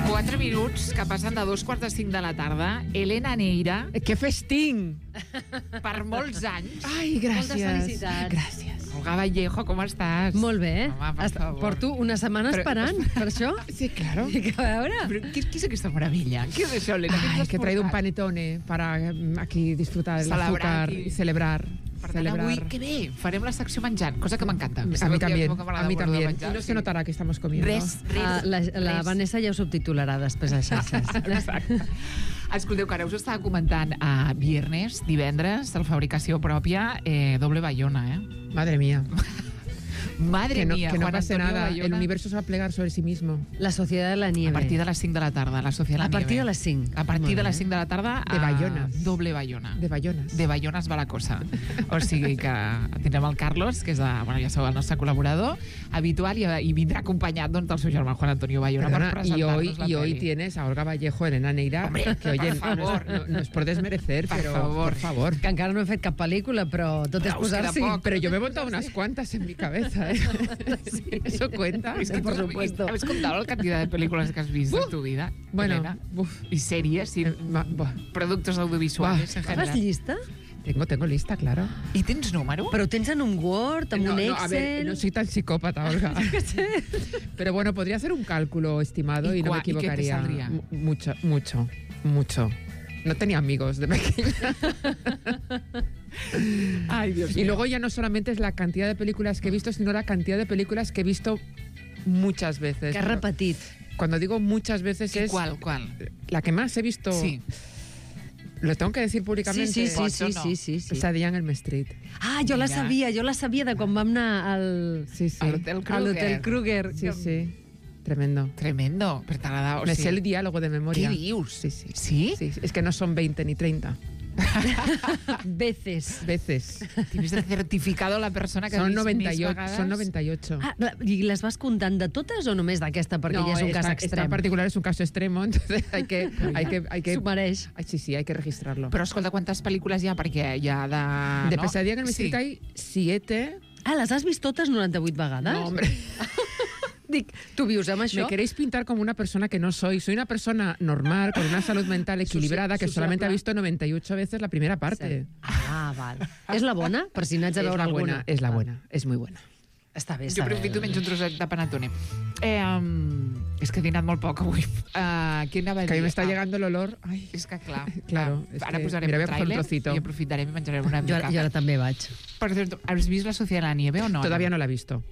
Quatre minuts que passen de dos quarts de cinc de la tarda. Elena Neira, Que festín! per molts anys. Ai, gràcies. Moltes felicitats. Gràcies. Olga Vallejo, com estàs? Molt bé. Home, per Est- favor. Porto una setmana Però- esperant per això. Sí, claro. Que a veure. Però què, què és aquesta meravella? Què és això, Elena? Què ens Ay, has que he traído un portat? panetone para mm, aquí disfrutar del Celebrar azúcar aquí. y celebrar. Per tant, celebrar. avui, que bé, farem la secció menjant, cosa que m'encanta. A mí Sabeu que también, com que m'agrada a mí molt de también. menjar, Y no sí. se notarà que estamos comiendo. Res, res, Ah, la, la res. Vanessa ja ho subtitularà després a xarxes. Exacte. Escolteu, que ara us estava comentant a viernes, divendres, el Fabricació Pròpia, eh, doble Bayona, eh? Madre mía. Madre Que no, mía, que no Juan pase Antonio nada. Bayona. El universo se va a plegar sobre sí mismo. La Societat de la Nieve. A partir de les cinc de la tarda, la Societat de la A partir Nieve. de les cinc. A partir Molt de bé. les cinc de la tarda, De a Bayones. doble Bayona. De Bayones. De Bayones va la cosa. O sigui que tindrem el Carlos, que és de, bueno, ja sabeu, el nostre col·laborador habitual, i, i vindrà acompanyat doncs, del seu germà Juan Antonio Bayona. Perdona, per y presentar-nos hoy, la y hoy peli. tienes a Olga Vallejo, Elena Neira, Hombre, que oye, por favor. no, no es por desmerecer, Por pero favor. por favor. Que encara no he fet cap pel·lícula, però tot és Però us queda posar-s'hi. poc. Pero yo me he montado unas cuantas en mi cabeza, ¿eh? Eso cuenta. Es que por tú- supuesto. ¿Has contado la cantidad de películas que has visto en tu vida, Bueno, Elena? uf, Y series, y eh, va- va. productos audiovisuales en Fas general. llista? tengo, tengo lista, claro. ¿Y tens número? Però tens en un Word, en no, un no, Excel... a ver, no soy tan psicópata, Olga. Pero bueno, podría hacer un cálculo estimado ¿Y y, no me cua- y qué te equivocaría. saldría? Mu- Mucho, mucho, mucho. No tenía amigos de pequeña. Ay, Dios Y luego ya no solamente es la cantidad de películas que he visto, sino la cantidad de películas que he visto muchas veces. Que has repetit. Cuando digo muchas veces ¿Y es cuál, cuál? la que más he visto. Sí. Lo tengo que decir Sí, públicamente. sí, sí, Pots o sí, no? sí, sí, sí. Pesadilla en Elm Street. Ah, jo la Mira. sabia, jo la sabia de quan vam anar al... Sí, sí. A l'Hotel A Kruger. l'Hotel Kruger. Sí, sí. Tremendo. Tremendo, pero te ha dado... Me sí. sé el diálogo de memoria. ¿Qué dius? Sí, sí. ¿Sí? Sí, es que no son veinte ni treinta Veces. veces. Tienes el certificado la persona que ha Son vist noventa més y ocho. vegades? Son noventa y ocho. Ah, la- I les vas comptant de totes o només d'aquesta? Perquè No, ja és un cas esta, esta extrem. en particular es un caso extremo, entonces hay que... Hay que, hay que S'ho mereix. Ay, sí, sí, hay que registrarlo. Però escolta, quantes pel·lícules hi ha? Perquè hi ha de... de no? Pesadilla en Elm Sí. Street hay siete. Ah, les has vist totes noranta-vuit vegades? No, hombre. Dic, tu vius amb això? Me queréis pintar como una persona que no soy. Soy una persona normal, con una salud mental equilibrada, que solamente ha visto noventa y ocho veces la primera parte. Ah, val. És la bona? Per si n'haig de Es veure la alguna. buena, es la buena, es muy buena. Està bé, Jo està bé. aprofito menys un trosset de panetone. Eh, um, És que he dinat molt poc avui. Uh, què anava a dir? Que a mi m'està Ah, llegando el olor. Ay, És que, clar, Claro, ah, és ara que posarem mira, un voy a coger un tràiler trocito. i aprofitarem i menjarem una Jo, mica. jo ara també vaig. Per cierto, ¿has visto La Sociedad de la Nieve o no? Todavía no la he visto.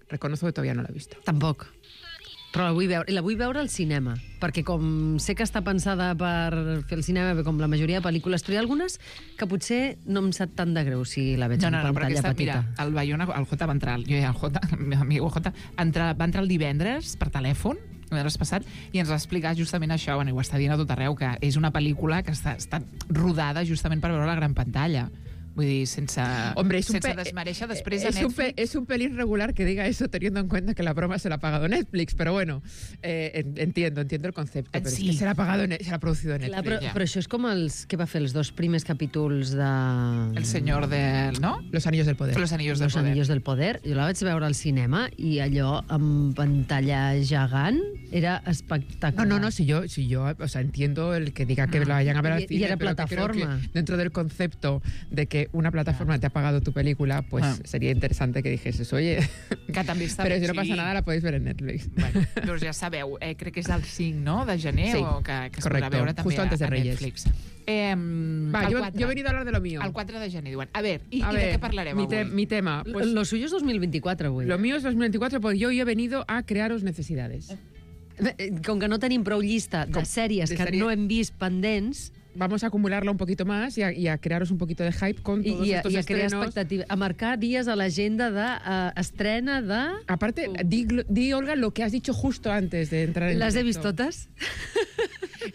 Reconozco que todavía no la he visto. Tampoc. Però la vull veure, la vull veure al cinema, perquè com sé que està pensada per fer el cinema, com la majoria de pel·lícules, però hi ha algunes que potser no em sap tant de greu si la veig No, en no, no, però pantalla aquesta, petita. mira, el Bayona, el Jota va entrar, jo ja el Jota, el meu amic Jota, entra, va entrar el divendres per telèfon, el divendres passat, i ens va explicar justament això, bueno, i ho està dient a tot arreu, que és una pel·lícula que està, està rodada justament per veure la gran pantalla. Vull dir, sense, Hombre, es un sense pe- desmereixer després es de un, pe- Netflix. es un pelín regular que diga eso teniendo en cuenta que la broma se la ha pagado Netflix, pero bueno, eh, en- entiendo, entiendo el concepto, pero Sí. es que se la ha pagado, en- se la ha producido en Clar, Netflix. però, ja. però això és com els que va fer els dos primers capítols de... El senyor del... no? Los anillos del poder. Los anillos del Los poder. Anillos del Poder. Jo la vaig veure al cinema i allò amb pantalla gegant era No, espectacular. no, no, si yo, si yo, o sea, entiendo el que diga que la vayan a ver al Y- y cine, era pero que creo que plataforma. dentro del concepto de que una plataforma te ha pagado tu película, pues Ah. sería interesante que dijeses, oye, Que també està pero bé, si no sí. pasa nada la podéis ver en Netflix. Bueno, doncs ja sabeu, eh, crec que és el cinc, no?, de gener, Sí, o que, que es correcto, podrà veure també justo antes de a, a Reyes. Netflix. Eh, Va, el yo, quatre. yo he venido a hablar de lo mío. El quatre de gener, diuen. A ver, i, A i ver, de què parlarem mi, te- avui? mi tema, pues Lo suyo es dos mil veinticuatro, avui. lo mío es dos mil veinticuatro, porque yo hoy he venido a crearos necesidades. Eh, Com que no tenim prou llista de Com- sèries de que sèrie- no hem vist pendents Vamos a acumularla un poquito más y a, y a crearos un poquito de hype con i, todos i, a, estos i a crear estrenos. expectativa, a marcar dies a l'agenda d'estrena de... Uh, Aparte, di, Glo- di, Olga, lo que has dicho justo antes de entrar en Les he vist directo. totes?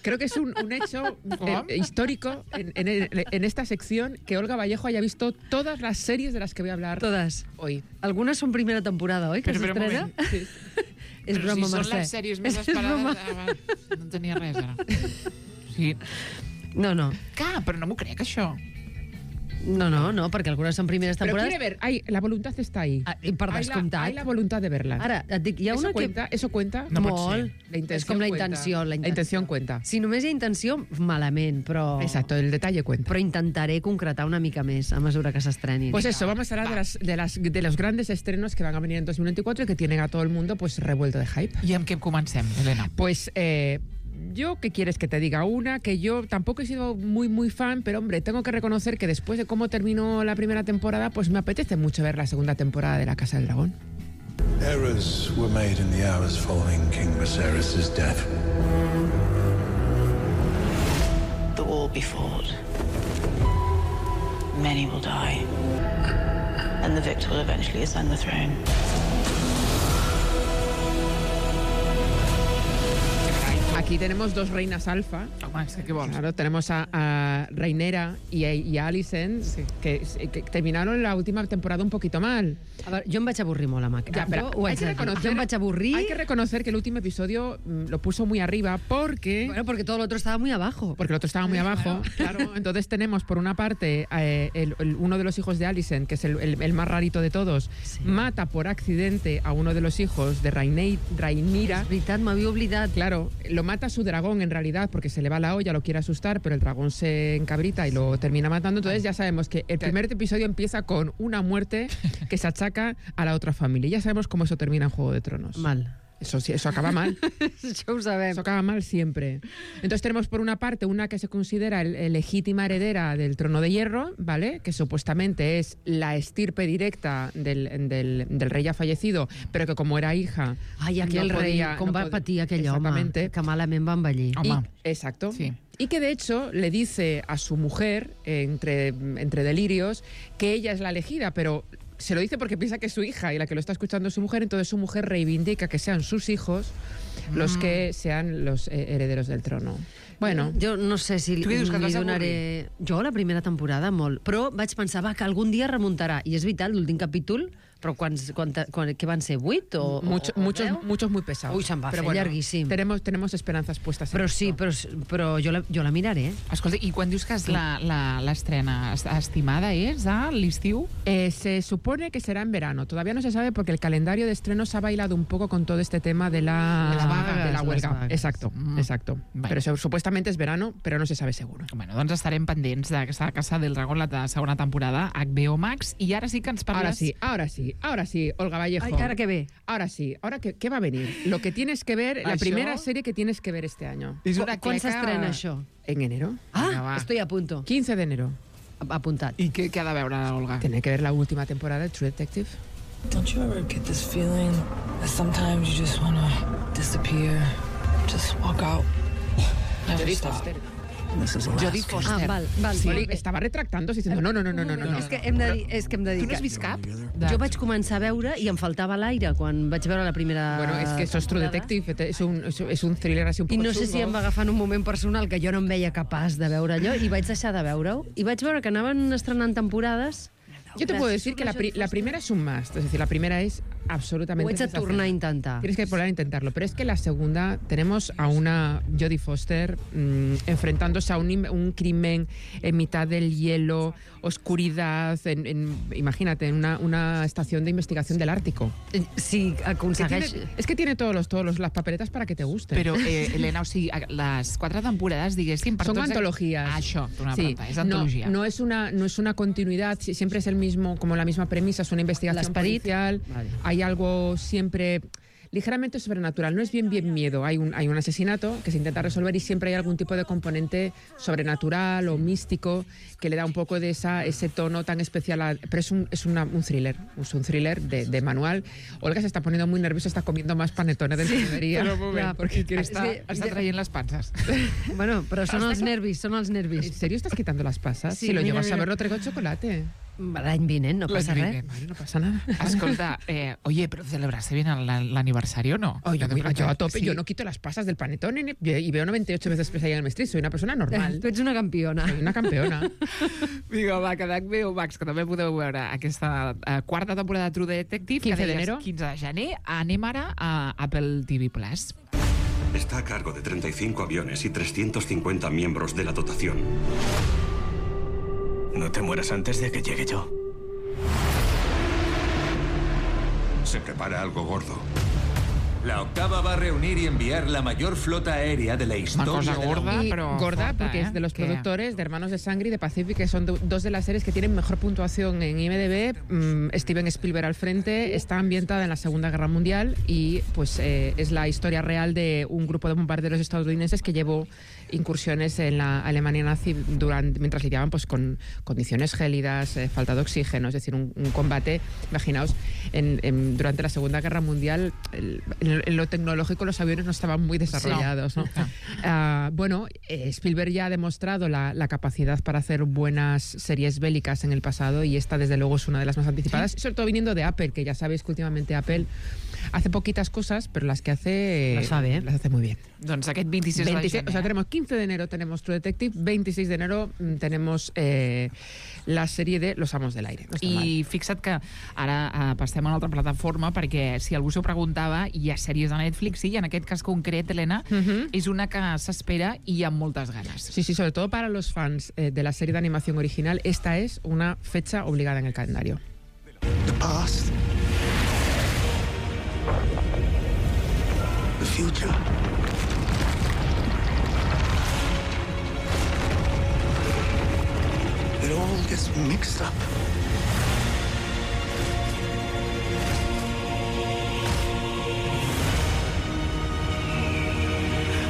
Creo que es un, un hecho ¿Cómo? eh, histórico en, en- en esta sección que Olga Vallejo haya visto todas las series de las que voy a hablar Totes. hoy. Algunes són primera temporada, oi? Que Però, però, un s'estrena? moment. Sí. És Però broma, si són Mercè. les sèries més És esperades... broma. Ah, va, no en tenia res, ara. Sí. No, no. Clar, però no m'ho crec, això. No, no, no, perquè algunes són primeres Pero temporades. quiere ver, hay, la voluntad está ahí. Ah, i per hay, la, descomptat. hay la voluntad de verla. Ara, et dic, hi ha eso, una que... cuenta, eso cuenta. No pot Molt. La És intención com la cuenta. intenció, la La intenció. intención cuenta. Si només hi ha intenció, malament, però... Exacto, el detalle cuenta. Però intentaré concretar una mica més a mesura que s'estrenin. Pues eso, vamos a hablar de, las, de, las, de los grandes estrenos que van a venir en dos mil veinticuatro y que tienen a todo el mundo pues revuelto de hype. I amb què comencem, Helena? Pues eh, yo, ¿qué quieres que te diga? Una, que yo tampoco he sido muy, muy fan, pero hombre, tengo que reconocer que después de cómo terminó la primera temporada, pues me apetece mucho ver la segunda temporada de La Casa del Dragón. Errors were made in the hours following King Viserys' death. The war be fought. Many will die. And the victor will eventually ascend the throne. Aquí tenemos dos reinas alfa. Home, és que què vols? Claro, tenemos a, a Rhaenyra y a, y a Alicent, que, que terminaron la última temporada un poquito mal. A veure, jo em vaig avorrir molt amb aquest. Ya, pero jo ho hay haig que de dir. reconocer- Jo em vaig avorrir... Hay que reconocer que el último episodio mm, lo puso muy arriba porque... Bueno, porque todo lo otro estaba muy abajo. Porque el otro estaba muy abajo, claro. Entonces tenemos, por una parte, eh, el- el- uno de los hijos de Alicent, que es el, el- el más rarito de todos, mata por accidente a uno de los hijos de Rhaenei- Rhaenyra. És veritat, m'havia oblidat. Claro, lo mata su dragón en realidad porque se le va la olla, lo quiere asustar, pero el dragón se encabrita y lo termina matando. Entonces ya sabemos que el primer episodio empieza con una muerte que se achaca a la otra familia. Y ya sabemos cómo eso termina en Juego de Tronos. Mal. Eso, sí, eso acaba mal. Això ho sabem. Eso acaba mal siempre. Entonces tenemos por una parte una que se considera el, el legítima heredera del trono de hierro, ¿vale? Que supuestamente es la estirpe directa del, del, del rey ya fallecido, pero que como era hija... Ai, aquell no rei, podía- com no va pod- patir aquell home, Exactamente. que malament va envellir. Y- Home. exacto. Sí. Y que de hecho le dice a su mujer, eh, entre, entre delirios, que ella es la elegida, pero se lo dice porque piensa que es su hija y la que lo está escuchando es su mujer, entonces su mujer reivindica que sean sus hijos los que sean los eh, herederos del trono. Bueno, Jo no sé si li, Tu què dius, que et li vas donaré... Jo la primera temporada molt, però vaig pensar va, que algun dia remuntarà. I és veritat, l'últim capítol, però quants, quan, quan, què van ser, vuit o, mucho- o, o muchos, deu? muchos muy pesados. Ui, se'n va Pero fer llarguíssim. Tenemos, tenemos esperanzas puestas en Però esto. sí, però, però jo, la, jo la miraré. Escolta, i quan dius que és la- la- l'estrena est- estimada és a l'estiu? Eh, se supone que será en verano. Todavía no se sabe porque el calendario de estrenos ha bailado un poco con todo este tema de la, De la vagues, de la les huelga. vagues. Exacto, Mm. exacto. Bueno. Pero eso, supuestamente es verano, pero no se sabe seguro. Bueno, doncs estarem pendents d'aquesta Casa del Dragón, la de segona temporada, H B O Max, i ara sí que ens parles... Ahora sí, ahora sí, ahora sí, Olga Vallejo. Ay, ¿ahora qué ve? Ahora sí, ahora qué, ¿qué va a venir? Lo que tienes que ver, la Això? primera serie que tienes que ver este año. És una Quan cleca- s'estrena això? En enero. Ah, Vinga, va. estoy a punto. quince de enero. Apuntat. I què, què ha de veure, Olga? Tiene que ver la última temporada de True Detective. Don't you ever get this feeling that sometimes you just want to disappear, just walk out? Never Jodie stop. Foster. This is Jodie Alaska. Foster. Ah, val, val. Sí, Molt bé. estava retractant-se diciendo no, no, no, no, no, no. no. És que hem de dir, és que hem de dir Tu no has que vist cap? jo vaig començar a veure i em faltava l'aire quan vaig veure la primera Bueno, es que eso es True temporada. Detective, es un, es, es un thriller así un I poco no sé si chungo. em va agafar en un moment personal que jo no em veia capaç de veure allò i vaig deixar de veure-ho i vaig veure que anaven estrenant temporades. Yo te puedo decir que la, pri- la primera es un must, es decir, la primera es absolutamente Ho haig de sensacional. tornar a intentar. Tienes que volver a intentarlo, pero es que la segunda tenemos a una Jodie Foster mmm, enfrentándose a un, im- un crimen en mitad del hielo, oscuridad, en, en- imagínate, en una, una estación de investigación del Ártico. Sí, Que aconsegueix... tiene- es que tiene todos los todos los, las papeletas para que te gusten. Però, eh, Helena, o sigui, les quatre temporades, diguéssim... Per Son tots... antologías. Ah, això, una Sí, pregunta, és no, antologia. no es una no es una continuidad, si- siempre es el mismo, como la misma premisa, es una investigación L'esperit. policial. Vale. Hay algo siempre ligeramente sobrenatural, no es bien bien miedo, hay un hay un asesinato que se intenta resolver y siempre hay algún tipo de componente sobrenatural o místico que le da un poco de esa ese tono tan especial, a- pero es un es una- un thriller, es un thriller de, de manual. Olga se está poniendo muy nerviosa, está comiendo más panetones de panadería. Però un moment, Ja, perquè és està, que- està traient les panses. Bueno, però són els nervis, són els ¿En nervis. serio estás quitando las pasas? Sí, si lo mira, llevas a mira. ver, no traigo chocolate. L'any vinent, no passa L'any res. vinent. Vale, no pasa nada. Escolta, eh, oye, però celebraste bien el- l'aniversari o no? Oh, yo, Yo yo a tope, sí. yo no quito las pasas del panetone ni- y veo noventa y ocho veces Pesadilla en el Maestri, soy una persona normal. Tu ets una campiona. Soy una campeona. Vinga, va, que d'H B O Max, que també podeu veure aquesta eh, quarta temporada de True Detective, quinze que deies d'enero. quinze de gener. Anem ara a Apple T V Plus. Está a cargo de treinta y cinco aviones y trescientos cincuenta miembros de la dotación. No te mueras antes de que llegue yo. Se prepara algo gordo. La octava va a reunir y enviar la mayor flota aérea de la historia cosa de la gorda. humanidad. Y pero gorda fuerte, porque ¿eh? es de los ¿Qué? productores de Hermanos de Sangre y de Pacific, que son do- dos de las series que tienen mejor puntuación en I M D B. Mm, Steven Spielberg al frente, está ambientada en la Segunda Guerra Mundial y pues eh, es la historia real de un grupo de bombarderos estadounidenses que llevó incursiones en la Alemania nazi durante, mientras lidiaban pues con condiciones gélidas, eh, falta de oxígeno, es decir, un, un combate, imaginaos, en, en- durante la Segunda Guerra Mundial, el- en, en lo tecnológico los aviones no estaban muy desarrollados, ¿no? Ah, bueno, eh, Spielberg ya ha demostrado la, la capacidad para hacer buenas series bélicas en el pasado y esta desde luego es una de las más anticipadas, sobre todo viniendo de Apple, que ya sabéis que últimamente Apple hace poquitas cosas, pero las que hace Las sabe, ¿eh? las hace muy bien. Doncs aquest veintiséis, veintiséis, de o sea, gener. tenemos quince de enero tenemos True Detective, veintiséis de enero mm, tenemos eh, la serie de Los Amos del Aire. No està mal. I fixa't que ara eh, passem a una altra plataforma perquè si algú s'ho preguntava, hi ha sèries de Netflix, sí, i en aquest cas concret, Helena, Ujú. és una que s'espera i amb moltes ganes. Sí, sí, sobre todo para los fans eh, de la serie de animación original, esta es una fecha obligada en el calendario. The past. The future. It all gets mixed up.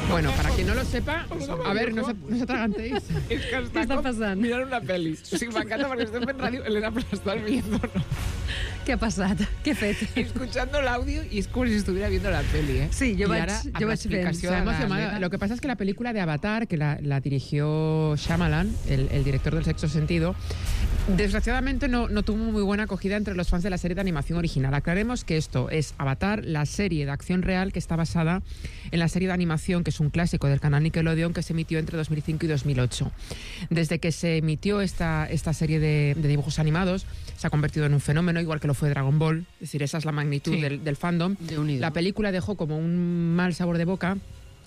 Bueno, para quien no lo sepa, a ver, no se, no se atragantéis. És que Què està passant? mirant una pel·li. O sigui, m'encanta perquè estem fent ràdio, Helena, però estàs viendo, ¿no? Què ha passat? Què he fet? Escuchando el audio y es como si estuviera viendo la peli, ¿eh? Sí, jo I vaig- ara, jo amb vaig l'explicació Se ha de la emocionado. Helena- Lo que pasa es que la película de Avatar, que la, la dirigió Shyamalan, el, el director del Sexto Sentido, desgraciadamente no, no tuvo muy buena acogida entre los fans de la serie de animación original. Aclaremos que esto es Avatar, la serie de acción real que está basada en la serie de animación, que es un clásico del canal Nickelodeon, que se emitió entre dos mil cinco y dos mil ocho. Desde que se emitió esta, esta serie de, de dibujos animados, se ha convertido en un fenómeno, igual que lo fue Dragon Ball. Es decir, esa es la magnitud Sí. del, del fandom. Déu-n'hi-do. La película dejó como un mal sabor de boca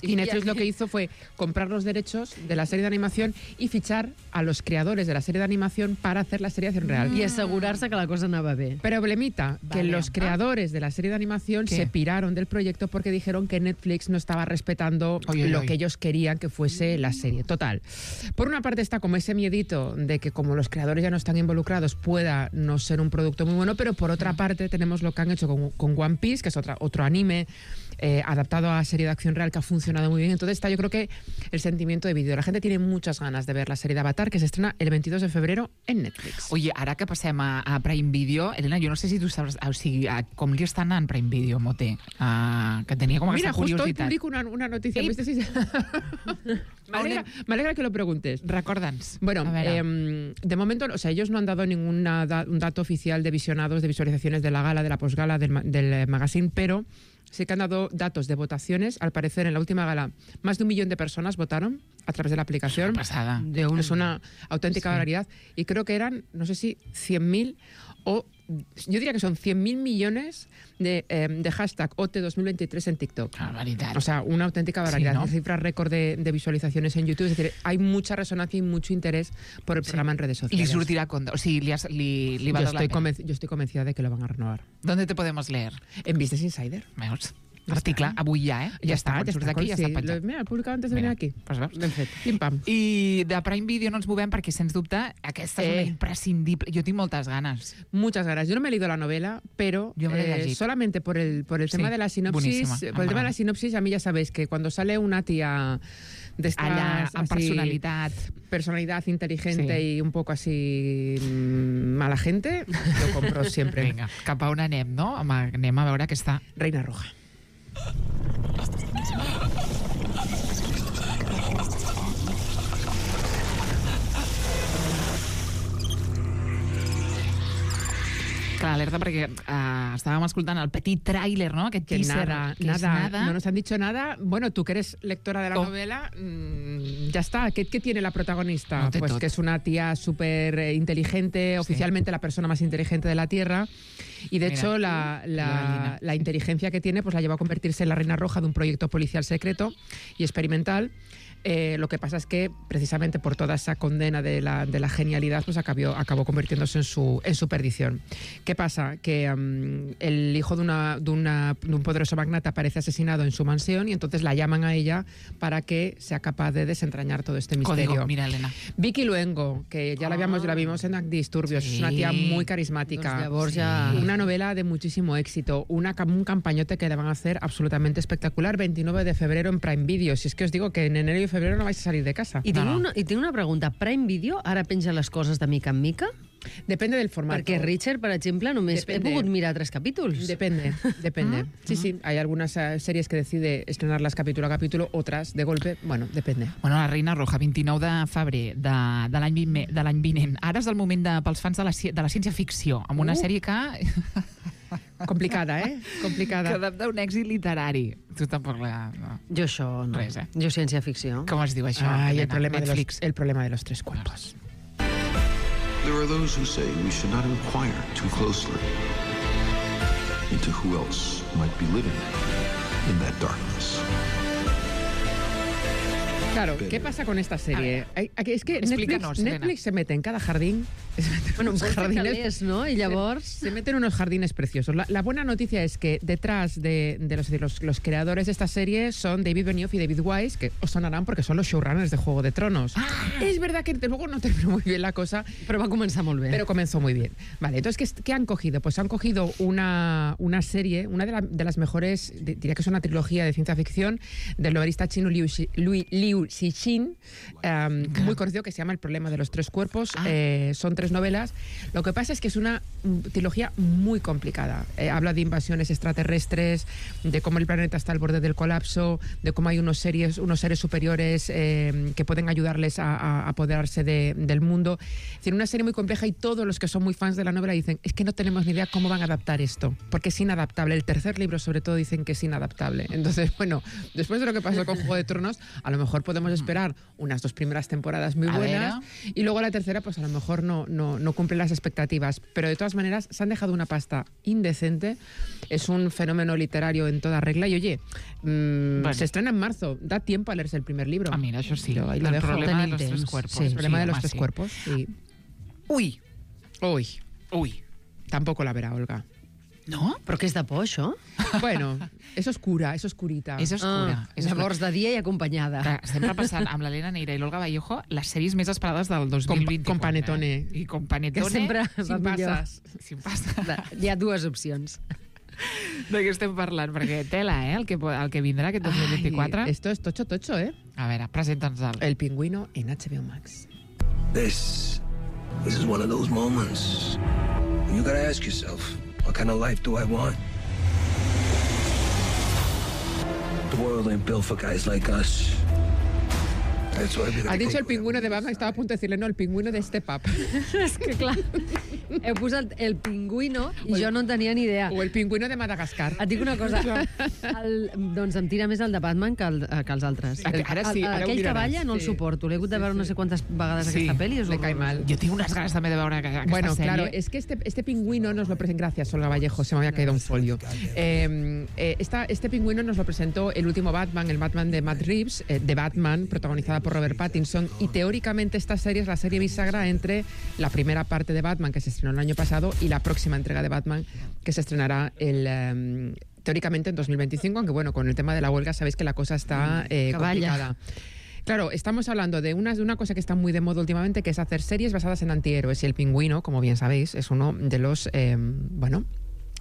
Y Netflix lo que hizo fue comprar los derechos de la serie de animación y fichar a los creadores de la serie de animación para hacer la serie de acción real. Y asegurarse que la cosa anava bé. Problemita, que Vale. los creadores de la serie de animación ¿Qué? se piraron del proyecto porque dijeron que Netflix no estaba respetando Oy, oy, lo oy. que ellos querían que fuese la serie. Total. Por una parte está como ese miedito de que como los creadores ya no están involucrados pueda no ser un producto muy bueno, pero por otra parte tenemos lo que han hecho con, con One Piece, que es otra, otro anime eh, adaptado a serie de acción real que ha funcionado muy bien. Entonces está yo creo que el sentimiento de vídeo. La gente tiene muchas ganas de ver la serie de Avatar, que se estrena el veintidós de febrero en Netflix. Oye, ara que passem a, a Prime Video, Elena, jo no sé si tu saps, o sigui, a, com li està anant Prime Video, Moté, uh, que tenia com Mira, aquesta justo hoy curiositat. publico una, una noticia. Sí. ¿Viste? Sí. me, alegra, me alegra que lo preguntes. Recorda'ns. Bueno, A veure. eh, de momento, o sea, ellos no han dado ningún da, un dato oficial de visionados, de visualizaciones de la gala, de la posgala, del, ma- del eh, magazine, pero sí que han dado datos de votaciones. Al parecer, en la última gala, más de un millón de personas votaron a través de la aplicación. Una pasada. De un, es una auténtica Sí. barbaridad. Y creo que eran, no sé si cien mil o... Yo diría que son cien mil millones de, eh, de hashtag O T dos mil veintitrés en TikTok. Barbaridad. O sea, una auténtica barbaridad. Sí, ¿no? Cifras récord de, de visualizaciones en YouTube. Es decir, hay mucha resonancia y mucho interés por el programa en redes Li sociales. sortirà compte, o sigui, li, has, li, li va yo, dar la estoy pena. convenc- yo estoy convencida de que lo van a renovar. ¿Dónde te podemos leer? En Business Insider. Veus? Article, avui ja, eh? Ya, está, quan ya surts está. d'aquí, ja sí. està penjat. Lo- Mira, lo he publicado antes de Mira, venir aquí. Pues veus? Ben fet. Pim pam. I de Prime Video no ens movem perquè, sens dubte, aquesta és una Eh. imprescindible. Jo tinc moltes ganes. Muchas ganas. Yo no me he leído la novela, pero Yo me la he eh, leído. solamente por el, por el Sí, tema de la sinopsis, buenísima. por el tema de la sinopsis, a mí ya sabéis que cuando sale una tía de estas Allà, amb así, personalitat. personalidad inteligente Sí. y un poco así mm, mala gente, lo compro siempre. Vinga, cap a on anem, no? Home, anem a veure aquesta... Reina Roja. Clar, alerta perquè uh, estàvem escoltant el petit tràiler, no? Aquest Que teaser, nada, que és nada, nada. no nos han dicho nada. Bueno, tú que eres lectora de la Oh. novela, mmm, ya está. ¿Qué, qué tiene la protagonista? No té pues tot. que es una tía súper eh, inteligente, oficialmente la persona más inteligente de la Tierra. Y de Mira, hecho, la, la la, gallina. la inteligencia que tiene pues la lleva a convertirse en la reina roja de un proyecto policial secreto y experimental. Eh, lo que pasa es que precisamente por toda esa condena de la, de la genialidad pues acabó, acabó convirtiéndose en su, en su perdición. ¿Qué pasa? Que um, el hijo de, una, de, una, de un poderoso magnate aparece asesinado en su mansión y entonces la llaman a ella para que sea capaz de desentrañar todo este misterio. Código, mira, Elena. Vicky Luengo, que ya la, habíamos, la vimos en Disturbios, Sí. es una tía muy carismática. Doncs llavors ja- Una novela de muchísimo éxito, una, cam- un campañote que le van a hacer absolutamente espectacular. veintinueve de febrero en Prime Video. Si es que os digo que en enero y febrero no vais a salir de casa. I tinc, No, no. una, I tinc una pregunta. Prime Video ara penja les coses de mica en mica? Depende del formato. Perquè Richard, per exemple, només Depende. he pogut mirar tres capítols. Depende, depende. Ah, Sí, sí, hay algunas eh, series que decide estrenarlas capítulo a capítulo, otras de golpe. Bueno, depende. Bueno, la Reina Roja, vint-i-nou de febrer de, de l'any vinent- de l'any vinent. Ara és el moment de, pels fans de la, ci- de la ciència-ficció, amb una Uh. sèrie que... Complicada, eh? Complicada. que adapta un èxit literari. Tu tampoc la... No. Jo això no. Res, eh? Jo ciència-ficció. Com es diu això? Ay, el Elena? problema, de los, Netflix. el problema de los tres cuerpos. There are those who say we should not inquire too closely into who else might be living in that darkness. Claro, ¿qué pasa con esta serie? Hay- aquí- es que Netflix, Explícanos, Elena. Netflix se mete en cada jardín. Se mete en Bueno, unos vol fer jardines- calés, no? I llavors... Se meten unos jardines preciosos. La, la buena noticia es que detrás de, de los, de los, los creadores de esta serie son David Benioff y David Weiss, que os sonarán porque son los showrunners de Juego de Tronos. Es verdad que luego no terminó muy bien la cosa, Però va començar molt bé. pero comenzó muy bien. Vale, entonces, ¿qué, qué han cogido? Pues han cogido una, una serie, una de, la- de las mejores, de- diría que es una trilogía de ciencia ficción, del novelista chino Liu, Xi- Lui- Liu Cixin, um, muy conocido, que se llama El problema de los tres cuerpos. Ah. Eh, son tres novelas. Lo que pasa es que es una mm, trilogía muy complicada. Eh, habla de invasiones extraterrestres, de cómo el planeta está al borde del colapso, de cómo hay unos seres, unos seres superiores eh, que pueden ayudarles a, a apoderarse de- del mundo. Es decir, una serie muy compleja y todos los que son muy fans de la novela dicen, es que no tenemos ni idea cómo van a adaptar esto, porque es inadaptable. El tercer libro, sobre todo, dicen que es inadaptable. Entonces, bueno, después de lo que pasó con Juego de Tronos, a lo mejor podemos podemos esperar unas dos primeras temporadas muy A buenas ver. y luego la tercera pues a lo mejor no, no, no cumple las expectativas. Pero de todas maneras se han dejado una pasta indecente. Es un fenómeno literario en toda regla. Y oye, mmm, Bueno. se estrena en marzo. Da tiempo a leerse el primer libro. Ah, mira, això sí. Yo ahí lo El dejo. problema de Tenim los tres temps. cuerpos. Sí. El problema de los home, tres sí. cuerpos. Y... Ui, Uy, ui. tampoco la verá Olga. No? Però què és de por, això? Bueno, es oscura, es oscurita. És oscura. Ah, és oscura. llavors, de dia i acompanyada. Clar, estem repassant amb l'Helena Neira i l'Olga Vallejo les sèries més esperades del dos mil vint-i-quatre. Con- con Panetone. Eh? I con Panetone. Que sempre va sin millor. passes. Sin passes. Hi ha dues opcions. De què estem parlant? Perquè tela, eh? El que, po- el que vindrà aquest dos mil vint-i-quatre. Ay, esto es tocho tocho, ¿eh? A veure, presenta'ns el... El pingüino en H B O Max. This, this is one of those moments when you gotta ask yourself, what kind of life do I want? The world ain't built for guys like us. That's why we gotta Ha dicho take el pingüino de Batman, estaba a punto de decirle, no, el pingüino de Step Up. És que, clar, heu posat el pingüino i jo no en tenia ni idea. O el pingüino de Madagascar. Et dic una cosa, el, doncs em tira més el de Batman que, el, que els altres. Ara- ara sí, El- ara ho Aquell que miraràs, balla no el sí. suporto. L'he hagut de veure no sé quantes vegades Sí, aquesta pel·li. És le cae horrorós. mal. Jo tinc unes ganes també de veure aquesta Bueno, sèrie. claro, es que este, este pingüino nos lo presentó. Gracias, Olga Vallejo, se me había caído un folio. Eh, eh, esta, este pingüino nos lo presentó el último Batman, el Batman de Matt Reeves, eh, de Batman, protagonizada por Robert Pattinson. Y teóricamente esta serie es la serie bisagra entre la primera parte de Batman, que se estrenó el año pasado, y la próxima entrega de Batman, que se estrenará el. eh, teóricamente en dos mil veinticinco, aunque bueno, con el tema de la huelga sabéis que la cosa está eh, Que vaya. complicada. Claro, estamos hablando de una, de una cosa que está muy de moda últimamente, que es hacer series basadas en antihéroes. Y el pingüino, como bien sabéis, es uno de los, eh, bueno,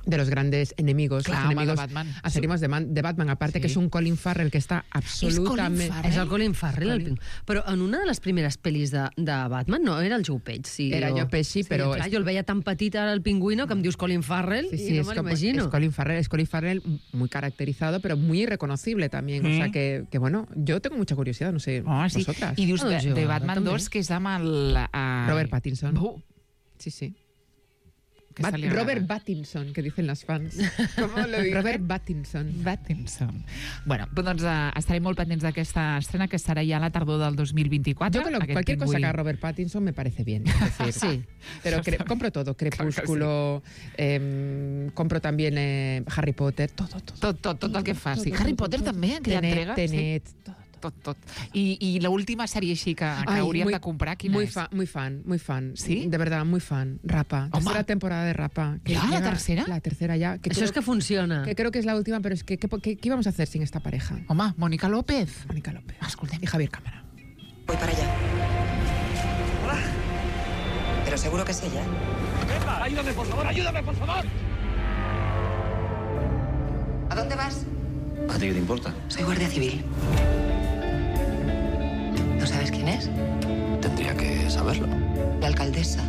de los grandes enemigos, Clar, los home, enemigos de Batman. acérrimos de, Man- de Batman. Aparte Sí. que es un Colin Farrell que está absolutamente... Farrell? És el Colin Farrell, el Colin. pingüino. Però en una de les primeres pel·lis de, de Batman no era el Joe Pesci. Sí, Era o- Joe Pesci, però Clar, és- jo el veia tan petit ara el pingüino que em dius Colin Farrell Sí, sí, i es, no me como- l'imagino. es Colin Farrell, es Colin Farrell muy caracterizado, pero muy irreconocible también. O sea que, que, bueno, yo tengo mucha curiosidad, no sé, Oh, sí. vosotras. I dius de, Doncs jo, de Batman també. dos, que és amb el... Uh... Robert Pattinson. Uh, Sí, sí. que Bat- se li agrada. Robert Pattinson, que dicen las fans. ¿Cómo lo dice? Robert Pattinson. Pattinson. Bueno, doncs uh, estarem molt pendents d'aquesta estrena, que serà ja a la tardor del dos mil vint-i-quatre. Yo con lo- Aquest cualquier cosa pingüí. que haga Robert Pattinson me parece bien. Es decir, Sí. Pero cre- compro todo. Crepúsculo, em, compro también eh, Harry Potter, todo, todo. Tot, tot, tot el que faci. Tot, Harry tot, Potter tot. també, que hi ha Tenet, entrega. Tenet, sí. Tot, tot. I, i l'última sèrie així que, que Ay, hauríem muy- de comprar, quina muy és? fan, muy fan, muy fan. ¿Sí? De verdad, muy fan. Rapa. Home. Tercera temporada de Rapa. que ¿Ya, la llega- tercera? La tercera ya. Que Això creo, és que funciona. que creo que es la última, pero es que ¿qué, qué, qué íbamos a hacer sin esta pareja? Home, Mónica López. Mónica López Escoltem. y Javier Cámara. Voy para allá. Hola. Pero seguro que es ella. ¡Venga! ¡Ayúdame, por favor! ¡Ayúdame, por favor! ¿A dónde vas? ¿A ti qué te importa? Soy guardia civil. ¿No sabes quién es? Tendría que saberlo. La alcaldesa.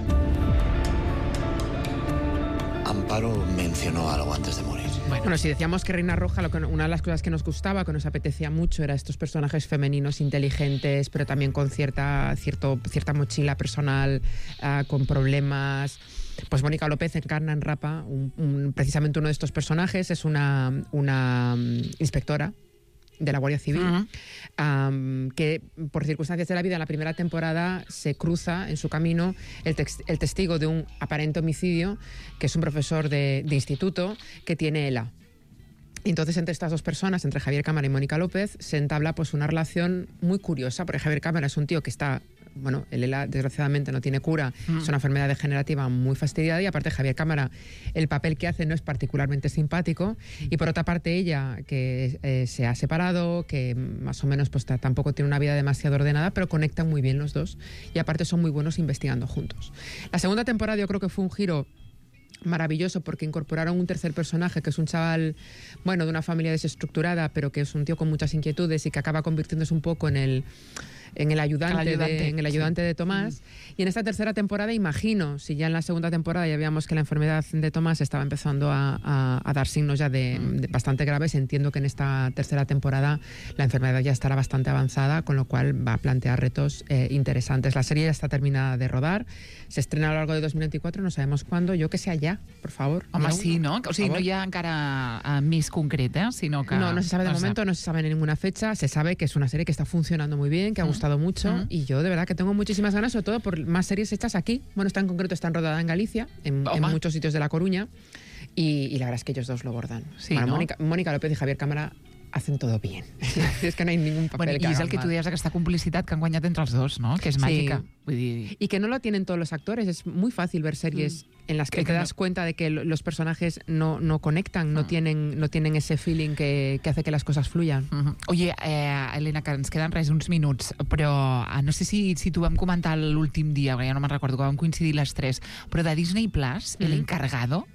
Amparo mencionó algo antes de morir. Bueno, si decíamos que Reina Roja, lo que, una de las cosas que nos gustaba, que nos apetecía mucho, era estos personajes femeninos inteligentes, pero también con cierta, cierto, cierta mochila personal, uh, con problemas. Pues Mónica López encarna en Rapa un, un, precisamente uno de estos personajes. Es una, una um, inspectora de la Guardia Civil, Uh-huh. um, que por circunstancias de la vida en la primera temporada se cruza en su camino el, tex- el testigo de un aparente homicidio, que es un profesor de, de instituto que tiene ELA. Y entonces entre estas dos personas, entre Javier Cámara y Mónica López, se entabla pues una relación muy curiosa, porque Javier Cámara es un tío que está... Bueno, el ELA desgraciadamente no tiene cura, Mm. es una enfermedad degenerativa muy fastidiada, y aparte Javier Cámara, el papel que hace no es particularmente simpático, y por otra parte ella, que eh, se ha separado, que más o menos pues ta- tampoco tiene una vida demasiado ordenada, pero conectan muy bien los dos, y aparte son muy buenos investigando juntos. La segunda temporada yo creo que fue un giro maravilloso, porque incorporaron un tercer personaje, que es un chaval, bueno, de una familia desestructurada, pero que es un tío con muchas inquietudes y que acaba convirtiéndose un poco en el en el ayudante, El ayudante, de, en el ayudante de Tomás. Y en esta tercera temporada, imagino, si ya en la segunda temporada ya veíamos que la enfermedad de Tomás estaba empezando a, a, a dar signos ya de, de bastante graves, entiendo que en esta tercera temporada la enfermedad ya estará bastante avanzada, con lo cual va a plantear retos eh, interesantes. La serie ya está terminada de rodar, se estrena a lo largo de dos mil veinticuatro, no sabemos cuándo, yo que sea ya, por favor. Home, Mireu, sí, no? O sigui, por no favor. hi ha encara uh, més concret, eh? Sinó que... No, no se sabe de no momento, no se sabe ninguna fecha. Se sabe que es una serie que está funcionando muy bien, que ha gustado mucho. Mm. Y yo de verdad que tengo muchísimas ganas, sobre todo por más series hechas aquí. Bueno, esta en concreto está enrodada en Galicia, en, en muchos sitios de La Coruña. Y, y la verdad es que ellos dos lo bordan. Sí, Bueno, no? Mónica, Mónica López y Javier Cámara hacen todo bien. Es que no hay ningún papel Bueno, que I és hagan el que tu mal. deies, aquesta complicitat que han guanyat entre els dos, no? Que és Sí. màgica. Vull dir... Y que no lo tienen todos los actores. Es muy fácil ver series en las que Que te no- das cuenta de que lo- los personajes no, no conectan, no, tienen, no tienen ese feeling que, que hace que las cosas fluyan. Mhm. Oye, eh, Helena, que ens queden res, uns minuts, però eh, no sé si, si t'ho vam comentar l'últim dia, perquè ja no me'n recordo, que vam coincidir les tres, però de Disney Plus, El Encargado,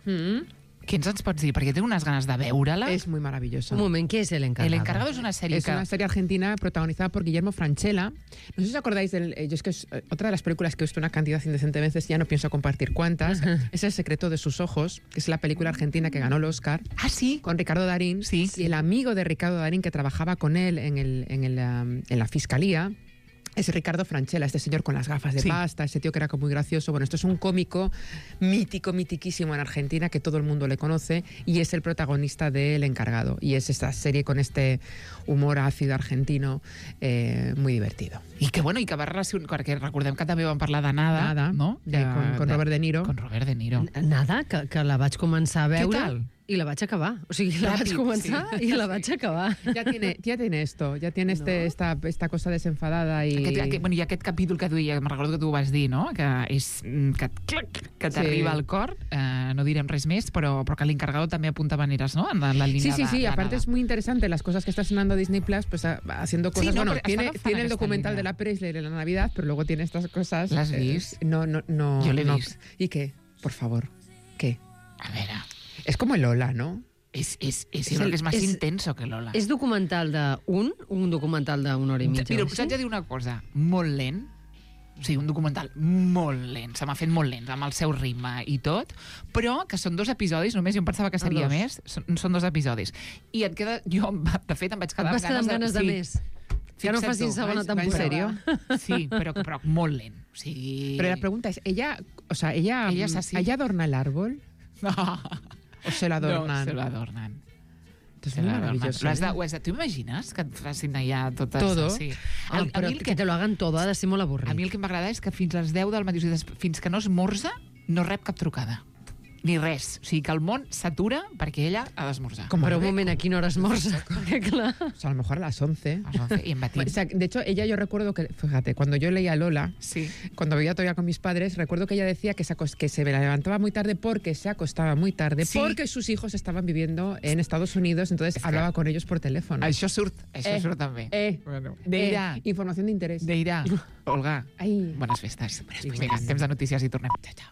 què ens ens pots dir? Perquè tengo unas ganas de veure-la. Es muy maravilloso. Un moment, ¿qué es El Encargado? El Encargado es una serie Es que... una serie argentina protagonizada por Guillermo Francella. No sé si os acordáis del... eh, Yo es que es eh, otra de las películas que he visto una cantidad indecente de veces, ya no pienso compartir cuántas. Es El secreto de sus ojos, que es la película argentina que ganó el Oscar. Ah, sí. Con Ricardo Darín. Sí. Y el amigo de Ricardo Darín que trabajaba con él en, el, en, el, um, en la fiscalía es Ricardo Francella, este señor con las gafas de Sí. pasta, ese tío que era como muy gracioso. Bueno, esto es un cómico mítico, mitiquísimo en Argentina, que todo el mundo le conoce, y es el protagonista de El Encargado. Y es esta serie con este humor ácido argentino eh, muy divertido. I que, bueno, i que va relacionar... Perquè recordem que també vam parlar de Nada, Nada, no? eh, con, con Robert De Niro. Con Robert De Niro. Nada, que, que la vaig començar a Què veure tal? i la vaig acabar. O sigui, la Ràpid, vaig començar sí. i la vaig acabar. Ya tiene, ya tiene esto, ya tiene este, esta, esta cosa desenfadada y... Aquest, aquest, bueno, i aquest capítol que duia, me'n recordo que tu ho vas dir, no? Que és mm, que, clac, que t'arriba Sí. al cor. Eh, no direm res més, però, però que l'encargado també apunta maneres, no? En la, la línia Sí, sí, de, sí, de aparte Nada. es muy interesante las cosas que está estrenando Disney Plus, pues a- haciendo Sí, cosas. no, bueno, pero tiene, está agafant tiene el aquesta documental línia. de la Presley de la Navidad, pero luego tiene estas cosas. ¿L'has eh, vist? No, no, no. Jo l'he no. vist. ¿Y qué? Por favor, ¿qué? A veure... Es como el Lola, ¿no? És, és, és, És jo crec el- que és més és- intenso que Lola. És documental d'un, un documental d'una hora i mitja. Mira, o us així? haig de dir una cosa, molt lent, o sigui, un documental molt lent, se m'ha fet molt lent, amb el seu ritme i tot, però que són dos episodis, només jo em pensava que seria dos. més, són, són dos episodis. I et queda, jo, de fet, em vaig Et quedar vas quedar amb ganes de sí. més. Que no Fixa't facin tu, segona va- va en temporada. sèrio? Sí, però, però molt lent. O sigui... Pero la pregunta es, ¿ella, o sea, ella, Ella es mm, así. ¿ella adorna el árbol? No, ¿O se lo adornan? no, se lo adornan. Entonces, Se muy lo adornan. maravilloso. Lo has de, ¿eh? ho has de, ¿Tú imagines que et facin allà totes... Todo. Sí. Ah, El- a però mi el que te lo hagan todo ha de ser molt avorrit. A mi el que m'agrada és que fins les deu del matí, o sigui, des- fins que no esmorza, no rep cap trucada. Ni res. O sigui, que el món s'atura perquè ella ha d'esmorzar. Como Però un bebé. moment, a quina hora esmorza? Perquè, clar... O sea, a lo mejor a las once. A les onze i en batín. O sea, de hecho, ella yo recuerdo que, fíjate, cuando yo leía Lola, Sí. cuando vivía todavía con mis padres, recuerdo que ella decía que se, acos- que se levantaba muy tarde porque se acostaba muy tarde, Sí. porque sus hijos estaban viviendo en Estados Unidos, entonces hablaba con ellos por teléfono. Això surt, això Eh, surt també. Eh, Bueno, eh, Deirà, información de interés. Deirà, Olga, Ai. bones festes. Vinga, Vinga, temps de notícies i tornem. Chao, chao.